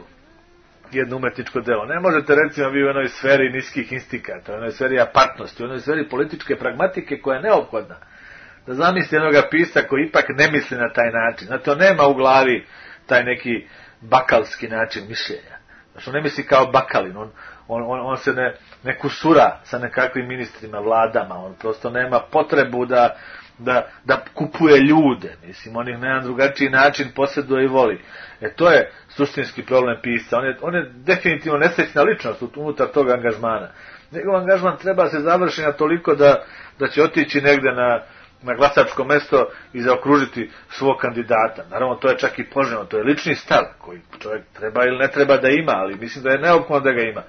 jedno umetničko delo. Ne možete recimo vi u jednoj sferi niskih instikata, u jednoj sferi apartnosti, u jednoj sferi političke pragmatike koja je neophodna da zamisli jednoga pisca koji ipak ne misli na taj način. Znate, on nema u glavi taj neki bakalski način mišljenja. Znači, on ne misli kao bakalin, on se ne kusura sa nekakvim ministrima, vladama, on prosto nema potrebu da kupuje ljude, mislim, on ih na jedan drugačiji način posjeduje i voli. To je suštinski problem pisca, on je definitivno nesrećna ličnost unutar tog angažmana. Njegov angažman treba se završiti na toliko da će otići negde na glasačko mesto i zaokružiti svog kandidata. Naravno, to je čak i poželjno, to je lični stav koji čovjek treba ili ne treba da ima, ali mislim da je neophodno da ga ima.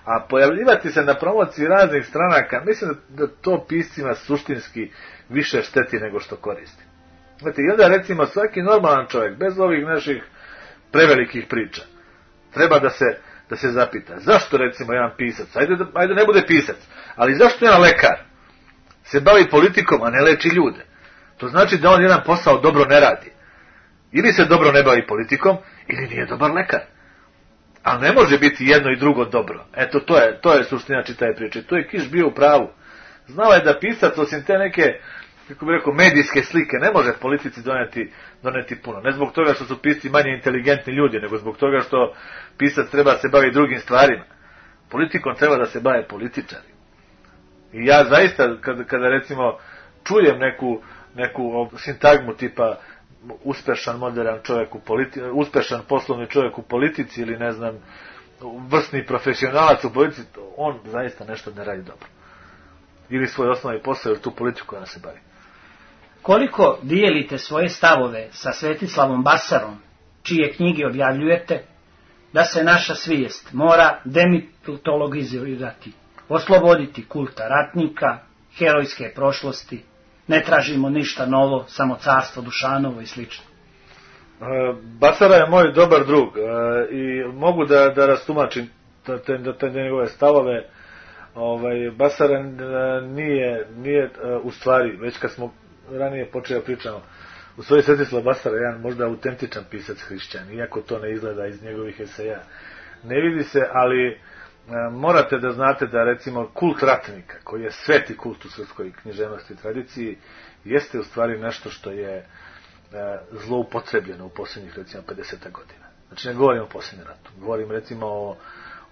A pojavljivati se na promociji raznih stranaka, mislim da to piscima suštinski više šteti nego što koristi. Znate, i onda recimo svaki normalan čovjek, bez ovih naših prevelikih priča, treba da se zapita, zašto recimo jedan pisac, ajde ne bude pisac, ali zašto jedan lekar se bavi politikom, a ne leči ljude? To znači da on jedan posao dobro ne radi. Ili se dobro ne bavi politikom, ili nije dobar lekar. Ali ne može biti jedno i drugo dobro. Eto, to je suština čitave priče. To je Kiš bio u pravu. Znao je da pisac, osim te neke, kako bih rekao, medijske slike, ne može politici doneti puno. Ne zbog toga što su pisci manje inteligentni ljudi, nego zbog toga što pisac treba se bavi drugim stvarima. Politikom treba da se bave političari. I ja zaista, kada recimo čujem neku sintagmu tipa uspešan moderan čovjek uspešan poslovni čovjek u politici ili ne znam vrsni profesionalac u politici, on zaista nešto ne radi dobro. Ili svoj osnovni posao ili tu politiku koja se bavi.
Koliko dijelite svoje stavove sa Svetislavom Basarom, čije knjige objavljujete, da se naša svijest mora demitologizirati, osloboditi kulta ratnika, herojske prošlosti, ne tražimo ništa novo, samo carstvo Dušanovo i slično?
Basara je moj dobar drug i mogu da rastumačim te njegove stavove. Basara nije u stvari, već kad smo ranije počeli pričamo, u stvari Svetislav Basara je jedan možda autentičan pisac hrišćan, iako to ne izgleda iz njegovih eseja. Ne vidi se, ali morate da znate da recimo kult ratnika, koji je sveti kult u srpskoj književnosti i tradiciji, jeste u stvari nešto što je zloupotrebljeno u posljednjih recimo 50 godina. Znači ne govorim o posljednjem ratu, govorim recimo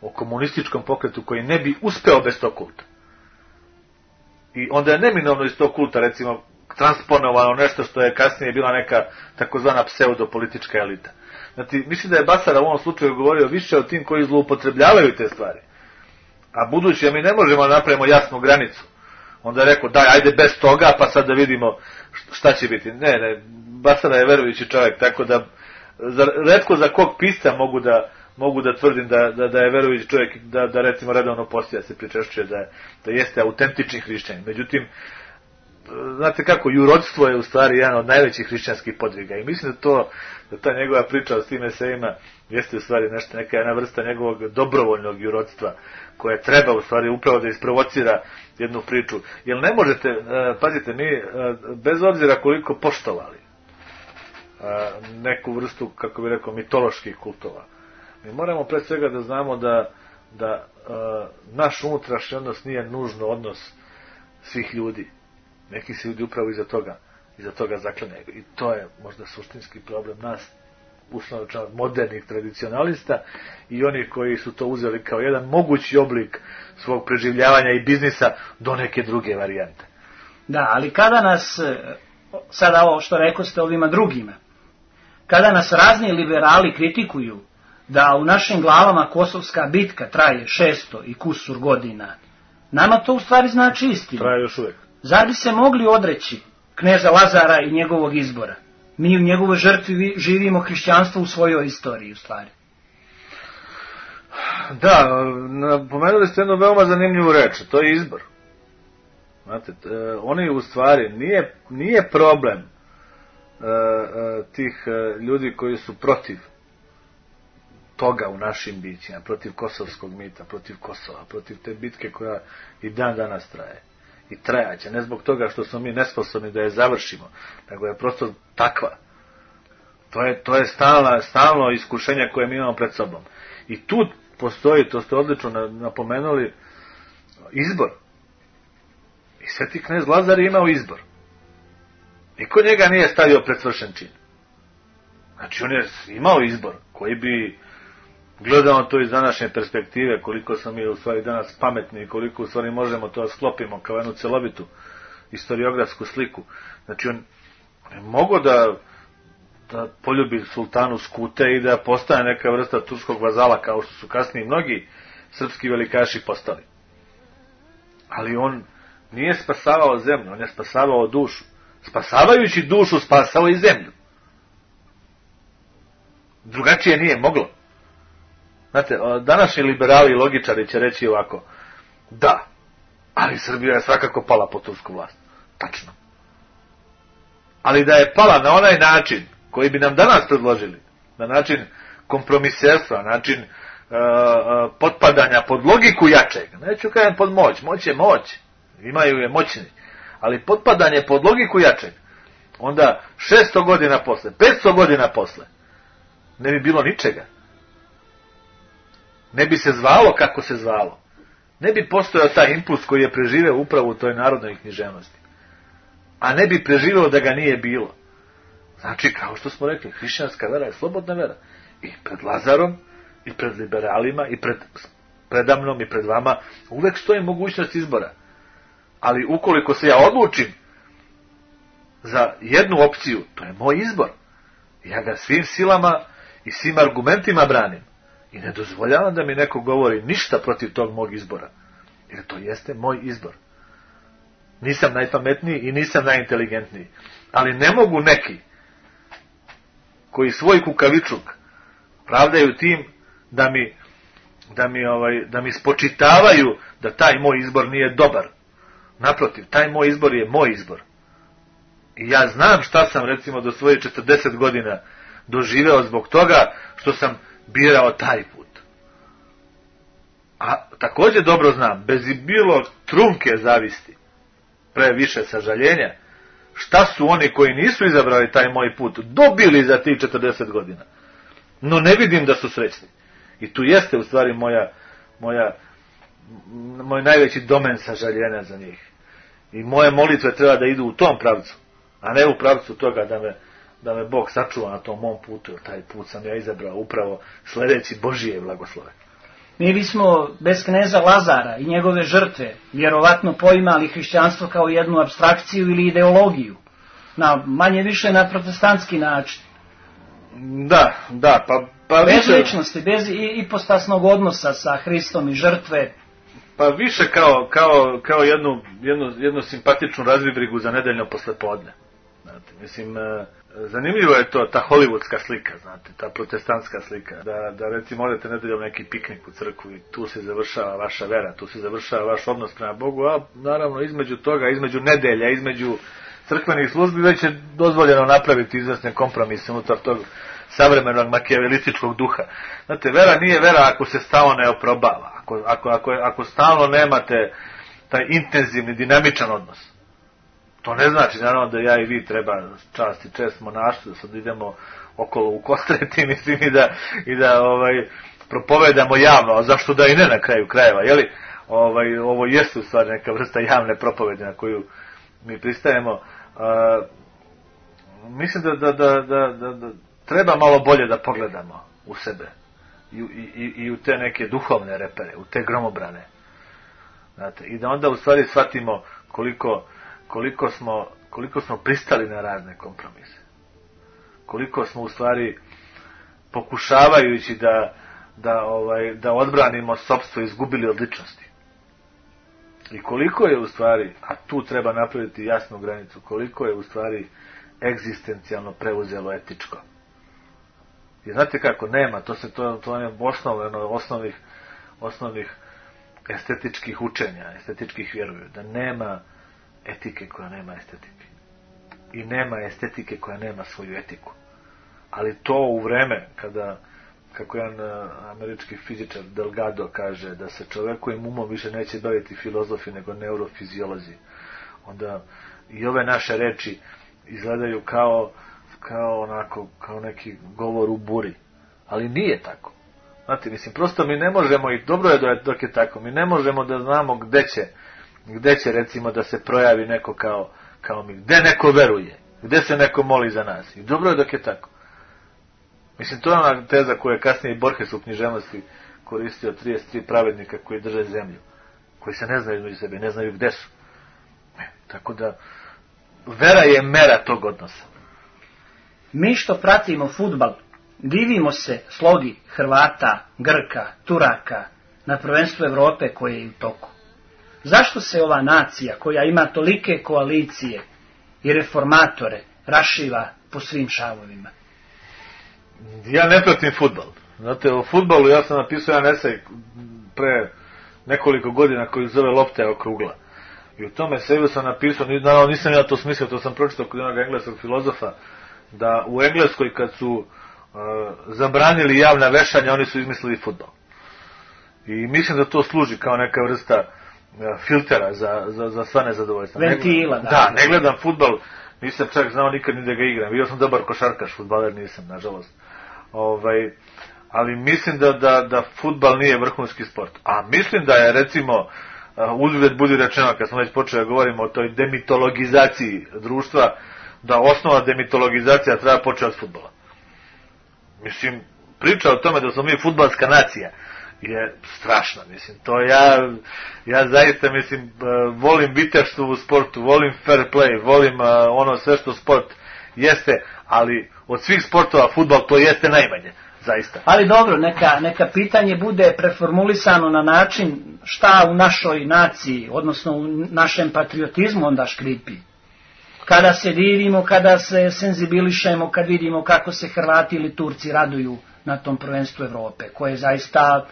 o komunističkom pokretu koji ne bi uspeo bez tog kulta. I onda je neminovno iz tog kulta recimo transponovano nešto što je kasnije bila neka takozvana pseudopolitička elita. Znači, mislim da je Basara u ovom slučaju govorio više o tim koji zloupotrebljavaju te stvari. A budući da mi ne možemo da napravimo jasnu granicu, onda je rekao, daj, ajde bez toga, pa sad da vidimo šta će biti. Ne, Basara je verujući čovjek, tako da retko za kog pisca mogu da tvrdim da je verujući čovjek, da recimo redovno postoja se pričešćuje da jeste autentični hrišćanin. Međutim, znate kako, jurodstvo je u stvari jedan od najvećih hrišćanskih podviga i mislim da ta njegova priča o s tim esejima jeste u stvari neka jedna vrsta njegovog dobrovoljnog jurodstva koje treba u stvari upravo da isprovocira jednu priču. Jer ne možete, pazite, mi bez obzira koliko poštovali neku vrstu, kako bi rekao, mitoloških kultova, mi moramo pre svega da znamo da naš unutrašnji odnos nije nužno odnos svih ljudi. Neki se ljudi upravo iza toga zaklane. I to je možda suštinski problem nas, uslovno modernih tradicionalista i oni koji su to uzeli kao jedan mogući oblik svog preživljavanja i biznisa do neke druge varijante.
Da, ali kada nas, sada ovo što rekoste ovima drugima, kada nas razni liberali kritikuju da u našim glavama Kosovska bitka traje 600 i kusur godina, nama to u stvari znači istinu.
Traje još uvijek.
Zar bi se mogli odreći kneza Lazara i njegovog izbora? Mi u njegovoj žrtvi živimo hrišćanstvo u svojoj istoriji, u stvari.
Da, pomenuli ste jednu veoma zanimljivu reč, to je izbor. Znate, oni u stvari, nije problem tih ljudi koji su protiv toga u našim bićima, protiv kosovskog mita, protiv Kosova, protiv te bitke koja i dan danas traje. I trajaće, ne zbog toga što smo mi nesposobni da je završimo, nego je prosto takva. To je stalno iskušenje koje mi imamo pred sobom. I tu postoji, to ste odlično napomenuli, izbor. I sveti knez Lazar je imao izbor. Niko njega nije stavio pred svršen čin. Znači on je imao izbor koji bi gledamo to iz današnje perspektive, koliko smo mi u stvari danas pametni i koliko u stvari možemo to da sklopimo kao jednu celovitu historiografsku sliku. Znači on je mogao da poljubi sultanu Skute i da postane neka vrsta turskog vazala kao što su kasnije mnogi srpski velikaši postali. Ali on nije spasavao zemlju, on je spasavao dušu. Spasavajući dušu spasao i zemlju. Drugačije nije moglo. Znate, današnji liberali i logičari će reći ovako, da, ali Srbija je svakako pala pod tursku vlast. Tačno. Ali da je pala na onaj način koji bi nam danas predložili, na način kompromiserstva, način potpadanja pod logiku jačeg, neću kažem pod moć je moć, imaju je moćni, ali potpadanje pod logiku jačeg, onda 600 godina posle, 500 godina posle, ne bi bilo ničega. Ne bi se zvalo kako se zvalo. Ne bi postojao taj impuls koji je preživeo upravo u toj narodnoj književnosti. A ne bi preživeo da ga nije bilo. Znači, kao što smo rekli, hrišćanska vera je slobodna vera. I pred Lazarom, i pred liberalima, i predamnom, i pred vama, uvek stoji mogućnost izbora. Ali ukoliko se ja odlučim za jednu opciju, to je moj izbor. Ja ga svim silama i svim argumentima branim. I ne dozvoljavam da mi neko govori ništa protiv tog mog izbora. Jer to jeste moj izbor. Nisam najpametniji i nisam najinteligentniji. Ali ne mogu neki koji svoj kukavičluk pravdaju tim da mi spočitavaju da taj moj izbor nije dobar. Naprotiv, taj moj izbor je moj izbor. I ja znam šta sam recimo do svoje 40 godina doživeo zbog toga što sam birao taj put. A također dobro znam, bez i bilo trunke zavisti, previše sažaljenja, šta su oni koji nisu izabrali taj moj put dobili za tih 40 godina. No ne vidim da su srećni. I tu jeste u stvari moj najveći domen sažaljenja za njih. I moje molitve treba da idu u tom pravcu, a ne u pravcu toga da me Bog sačuva na tom mom putu, jer taj put sam ja izabrao upravo sledeći Božije blagoslove.
Mi bismo bez kneza Lazara i njegove žrtve vjerovatno poimali hrišćanstvo kao jednu apstrakciju ili ideologiju, manje više na protestantski način.
Da, pa
bez
više,
ličnosti, bez ipostasnog odnosa sa Hristom i žrtve.
Pa više kao jednu simpatičnu razvibrigu za nedeljno poslepodne. Znate, mislim, zanimljivo je to, ta hollywoodska slika, znate, ta protestantska slika, da recimo odete nedeljom neki piknik u crkvu i tu se završava vaša vera, tu se završava vaš odnos prema Bogu, a naravno između toga, između nedelja, između crkvenih službi već je dozvoljeno napraviti izvesne kompromise unutar tog savremenog makijavelističkog duha. Znate, vera nije vera ako se stalno ne oprobava, ako stalno nemate taj intenzivni, dinamičan odnos. To ne znači, naravno, da ja i vi treba čast i čest monaštvu, da sad idemo okolo u kostreti, mislim, i da propovedamo javno, a zašto da i ne na kraju krajeva, jeli? Ovo jeste u stvari neka vrsta javne propovede na koju mi pristajemo. Mislim da treba malo bolje da pogledamo u sebe i u te neke duhovne repere, u te gromobrane. Znate, i da onda u stvari shvatimo koliko smo pristali na razne kompromise. Koliko smo u stvari pokušavajući da odbranimo sopstvo izgubili od ličnosti. I koliko je u stvari, a tu treba napraviti jasnu granicu, koliko je u stvari egzistencijalno preuzelo etičko. I znate kako, nema, to je osnovnih estetičkih učenja, estetičkih vjeruju, da nema etike koja nema estetike. I nema estetike koja nema svoju etiku. Ali to u vreme kada, kako jedan američki fizičar Delgado kaže, da se čovekovim umom više neće baviti filozofi nego neurofiziolozi, onda i ove naše reči izgledaju kao neki govor u buri. Ali nije tako. Znate, mislim, prosto mi ne možemo, i dobro je dok je tako, mi ne možemo da znamo gde će recimo da se projavi neko kao mi, gde neko veruje, gde se neko moli za nas. I dobro je dok je tako. Mislim, to je ona teza koju je kasnije i Borges u književnosti koristio, 33 pravednika koji drže zemlju, koji se ne znaju između sebe, ne znaju gde su. Tako da, vera je mera tog odnosa.
Mi što pratimo fudbal, divimo se slogi Hrvata, Grka, Turaka na prvenstvu Evrope koje je u toku. Zašto se ova nacija, koja ima tolike koalicije i reformatore, rašiva po svim šavovima?
Ja ne pratim fudbal. Znate, o fudbalu ja sam napisao jedan esej pre nekoliko godina koji zove Lopta oko ugla. I u tome eseju sam napisao, naravno nisam ja to smislio, to sam pročitao kod jednog engleskog filozofa, da u Engleskoj kad su zabranili javna vešanja, oni su izmislili fudbal. I mislim da to služi kao neka vrsta filtera za sva nezadovoljstva.
Ventila,
da. Ne gledam fudbal, nisam čak znao nikad ni da ga igram. Bio sam dobar košarkaš, fudbaler nisam, nažalost. Ali mislim da fudbal nije vrhunski sport. A mislim da je, recimo, uzgled budi rečeno, kad smo već počeli da govorimo o toj demitologizaciji društva, da osnova demitologizacija treba početi od fudbala. Mislim, priča o tome da smo mi fudbalska nacija je strašna, mislim, to ja zaista, mislim, volim viteštvo u sportu, volim fair play, volim ono sve što sport jeste, ali od svih sportova fudbal to jeste najmanje, zaista.
Ali dobro, neka pitanje bude preformulisano na način šta u našoj naciji, odnosno u našem patriotizmu onda škripi. Kada se divimo, kada se senzibilišemo, kad vidimo kako se Hrvati ili Turci raduju na tom prvenstvu Evrope, koje je zaista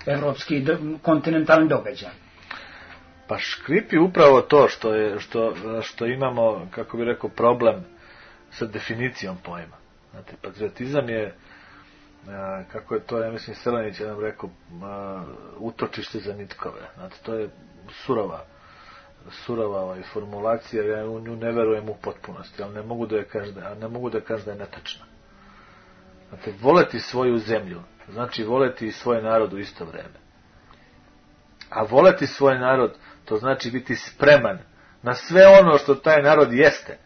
evropski kontinentalni događaj.
Pa škripi upravo to što imamo, kako bi rekao, problem sa definicijom pojma. Znate, patriotizam je, kako je to, ja mislim, Selenić je nam rekao, utočište za nitkove. Znate, to je surova formulacija, ja u nju ne verujem u potpunosti, ali ne mogu da kažem da je netačna. Znate, voleti svoju zemlju, znači voleti i svoj narod u isto vreme. A voleti svoj narod, to znači biti spreman na sve ono što taj narod jeste.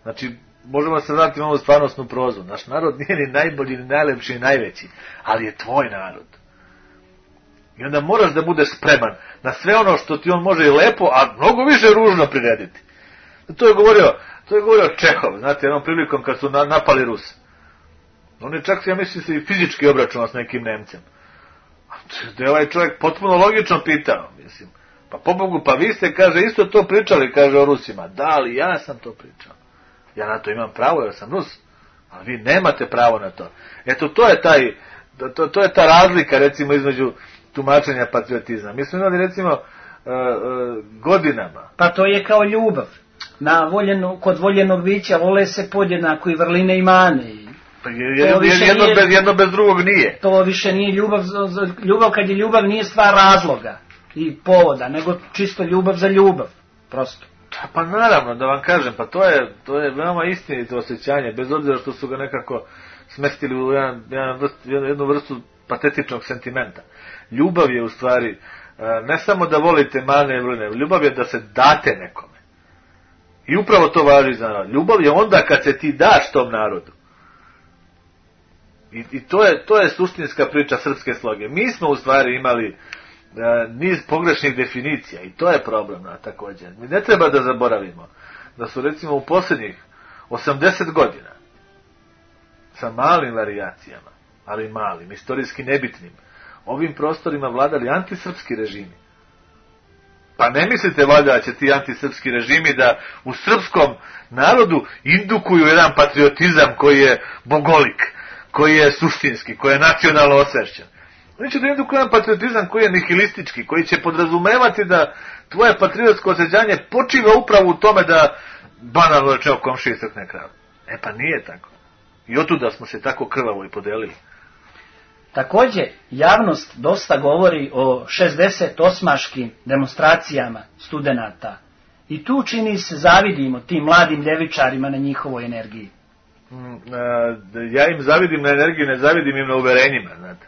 Znači, možemo se vratiti u ovu stvarnostnu prozu. Naš narod nije ni najbolji, ni najlepši, ni najveći, ali je tvoj narod. I onda moraš da budeš spreman na sve ono što ti on može i lepo, a mnogo više ružno prirediti. To je govorio Čehov, znate, jednom prilikom kad su napali Rus. On je čak, ja mislim, se i fizički obračunao s nekim Nemcem. Da je ovaj čovjek potpuno logično pitao, mislim. Pa pobogu, pa vi ste, kaže, isto to pričali, kaže, o Rusima. Da, ali ja sam to pričao. Ja na to imam pravo, jer sam Rus. Ali vi nemate pravo na to. Eto, to je ta razlika, recimo, između tumačenja patriotizma. Mi smo imali, recimo, godinama.
Pa to je kao ljubav. Kod voljenog bića vole se podjednako i vrline i mane.
Jedno bez drugog nije.
To više nije ljubav. Ljubav kad je ljubav nije stvar razloga i povoda, nego čisto ljubav za ljubav. Prosto.
Pa naravno, da vam kažem, pa to je veoma istinito osjećanje, bez obzira što su ga nekako smestili u jednu vrstu patetičnog sentimenta. Ljubav je u stvari, ne samo da volite mane i vrline, ljubav je da se date nekome. I upravo to važi za narod. Ljubav je onda kad se ti daš tom narodu. I to je suštinska priča srpske sloge. Mi smo u stvari imali niz pogrešnih definicija i to je problem također. Mi ne treba da zaboravimo da su recimo u posljednjih 80 godina sa malim varijacijama, ali malim, istorijski nebitnim, ovim prostorima vladali antisrpski režimi. Pa ne mislite valjda da će ti antisrpski režimi da u srpskom narodu indukuju jedan patriotizam koji je bogolik, koji je suštinski, koji je nacionalno osvešćen. Oni će da indukuju jedan patriotizam koji je nihilistički, koji će podrazumevati da tvoje patriotsko osjećanje počiva upravo u tome da banalno rečeno komšiji crkne kravu. E pa nije tako. I otuda smo se tako krvavo i podelili.
Također, javnost dosta govori o 68-škim demonstracijama studenata. I tu čini se zavidimo tim mladim ljevičarima na njihovoj energiji.
Ja im zavidim na energiju, ne zavidim im na uverenjima, znate.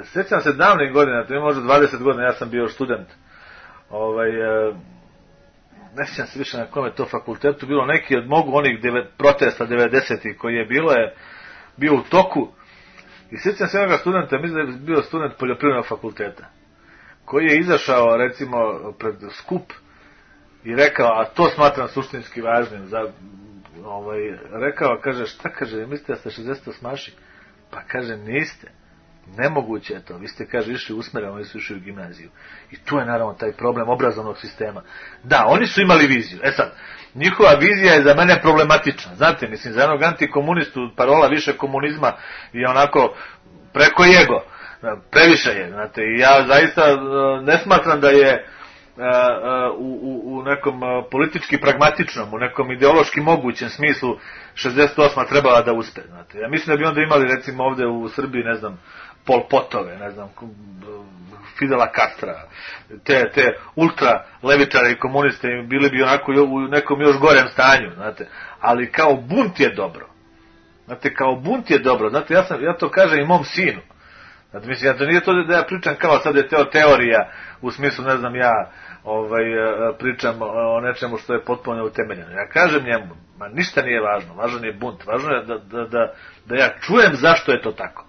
Sjećam se davnih godina, to je možda 20 godina, ja sam bio student. Ne sjećam se više na kome to fakultetu bilo, neki od onih protesta 90-ih koji je bio u toku. I sjećam se onoga studenta, mislim da je bio student poljoprivrednog fakulteta, koji je izašao recimo pred skup i rekao, a to smatram suštinski važnim, rekao, kaže, šta kaže, mislite da ste 68-maši? Pa kaže, niste. Nemoguće je to. Vi ste, kaže, išli usmereno, oni su išli u gimnaziju. I tu je naravno taj problem obrazovnog sistema. Da, oni su imali viziju. E sad, njihova vizija je za mene problematična. Znate, mislim, za jednog antikomunistu parola više komunizma je onako preko jego. Previše je, znate. I ja zaista ne smatram da je u nekom politički pragmatičnom, u nekom ideološki mogućem smislu 68. trebala da uspe. Znate. Ja mislim da bi onda imali recimo ovdje u Srbiji, ne znam, Pol Potove, ne znam, Fidela Castra, te ultra levičare i komuniste bili bi onako u nekom još gorem stanju, znate. Ali kao bunt je dobro. Znate, kao bunt je dobro. Znate, ja to kažem i mom sinu. Znate, mislim, to nije to da ja pričam kao sad je teorija, u smislu, ne znam, ja pričam o nečemu što je potpuno neutemeljeno. Ja kažem njemu, ništa nije važno, važan je bunt, važno je da ja čujem zašto je to tako.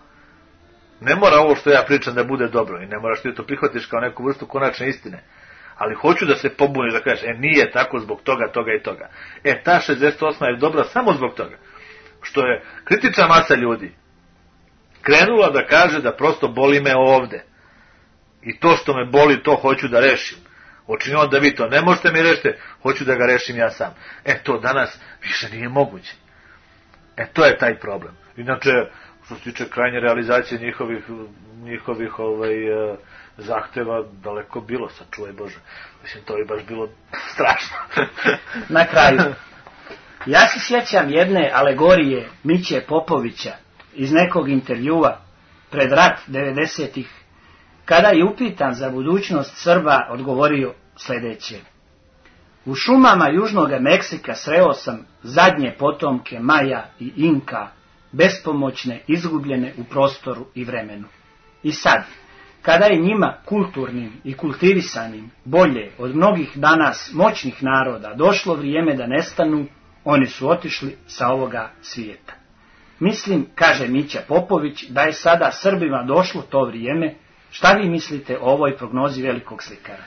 Ne mora ovo što ja pričam da bude dobro i ne moraš ti to prihvatiš kao neku vrstu konačne istine. Ali hoću da se pobuniš, da kažeš, nije tako zbog toga, toga i toga. Ta 68. je dobra samo zbog toga. Što je kritična masa ljudi krenula da kaže da prosto boli me ovde. I to što me boli, to hoću da rešim. Očinjeno da vi to ne možete mi rešiti, hoću da ga rešim ja sam. To danas više nije moguće. To je taj problem. Inače, što se tiče krajnje realizacije njihovih zahteva, daleko bilo, sačuvaj Bože. Mislim, to je baš bilo strašno.
Na kraju, ja se sjećam jedne alegorije Miće Popovića iz nekog intervjua pred rat 90-ih, kada je upitan za budućnost Srba, odgovorio sljedeće: u šumama južnog Meksika sreo sam zadnje potomke Maja i Inka, bespomoćne, izgubljene u prostoru i vremenu. I sad, kada je njima kulturnim i kultivisanim bolje od mnogih danas moćnih naroda došlo vrijeme da nestanu, oni su otišli sa ovoga svijeta. Mislim, kaže Mića Popović, da je sada Srbima došlo to vrijeme. Šta vi mislite o ovoj prognozi velikog slikara?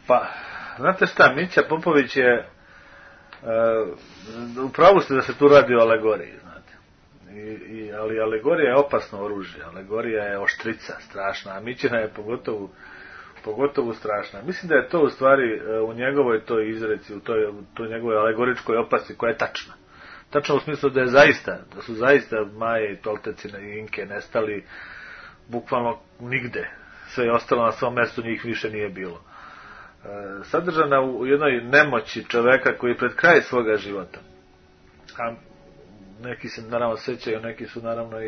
Pa, znate šta, Mića Popović je upravo ste da se tu radi o alegoriji, znate. Ali alegorija je opasno oružje, alegorija je oštrica, strašna, a Mićina je pogotovo strašna. Mislim da je to u stvari u njegovoj toj izreci, u toj njegovoj alegoričkoj opasci koja je tačna. Tačno u smislu da su zaista Maje i Tolteci i Inke nestali bukvalno nigde. Sve je ostalo na svom mjestu, njih više nije bilo. Sadržana u jednoj nemoći čoveka koji pred kraj svoga života, a neki se naravno sećaju, neki su naravno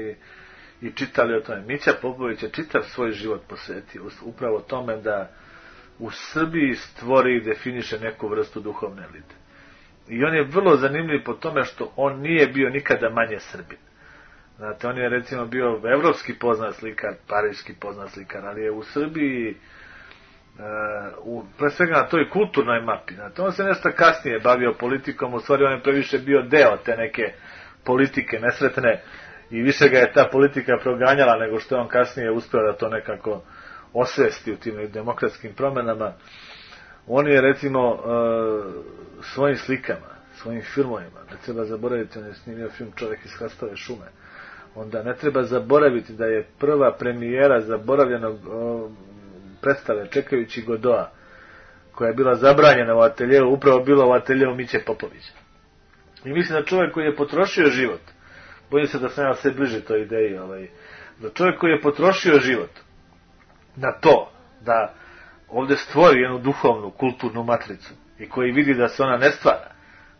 i čitali o tome. Mića Popović je čitav svoj život posvetio upravo tome da u Srbiji stvori i definiše neku vrstu duhovne elite. I on je vrlo zanimljiv po tome što on nije bio nikada manje Srbin. Znate, on je recimo bio evropski poznat slikar, pariški poznat slikar, ali je u Srbiji pre svega na toj kulturnoj mapi. Znate, on se nešto kasnije bavio politikom, u stvari on je previše bio deo te neke politike nesretne i više ga je ta politika proganjala nego što je on kasnije uspio da to nekako osvesti u tim demokratskim promjenama. On je recimo svojim slikama, svojim filmovima, ne treba zaboraviti, on je snimio film Čovjek iz Hrastove šume, onda ne treba zaboraviti da je prva premijera zaboravljenog predstave Čekajući Godoa, koja je bila zabranjena u ateljeu, upravo bila u ateljeu Miće Popovića. I mislim da čovjek koji je potrošio život, bojim se da sam ja sve bliže toj ideji, da čovjek koji je potrošio život na to da ovdje stvori jednu duhovnu, kulturnu matricu i koji vidi da se ona ne stvara,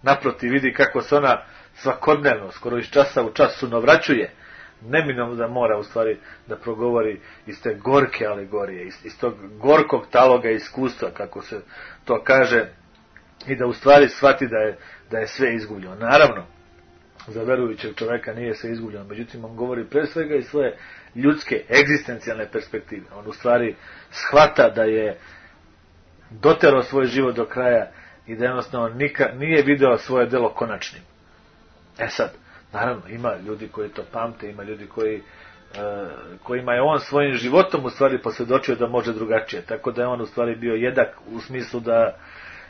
naprotiv vidi kako se ona svakodnevno, skoro iz časa u čas sunovraćuje, neminovno da mora u stvari da progovori iz te gorke alegorije, iz tog gorkog taloga iskustva, kako se to kaže, i da u stvari shvati da je sve izgubljeno. Naravno, za verujućeg čovjeka nije sve izgubljeno, međutim on govori pre svega iz svoje ljudske, egzistencijalne perspektive. On u stvari shvata da je doterao svoj život do kraja i da jednostavno nije video svoje delo konačnim. Sad, naravno, ima ljudi koji to pamte, ima ljudi kojima je on svojim životom u stvari posvjedočio da može drugačije. Tako da je on u stvari bio jedak u smislu da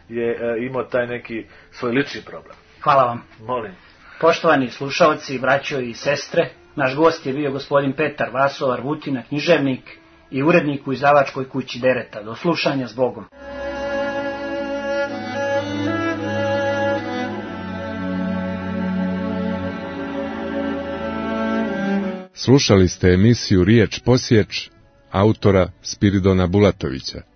je imao taj neki svoj lični problem.
Hvala vam.
Molim.
Poštovani slušalci, braćo i sestre, naš gost je bio gospodin Petar Vasovar Vutina, književnik i urednik u izdavačkoj kući Dereta. Do slušanja, s Bogom.
Slušali ste emisiju Riječ Posječ autora Spiridona Bulatovića.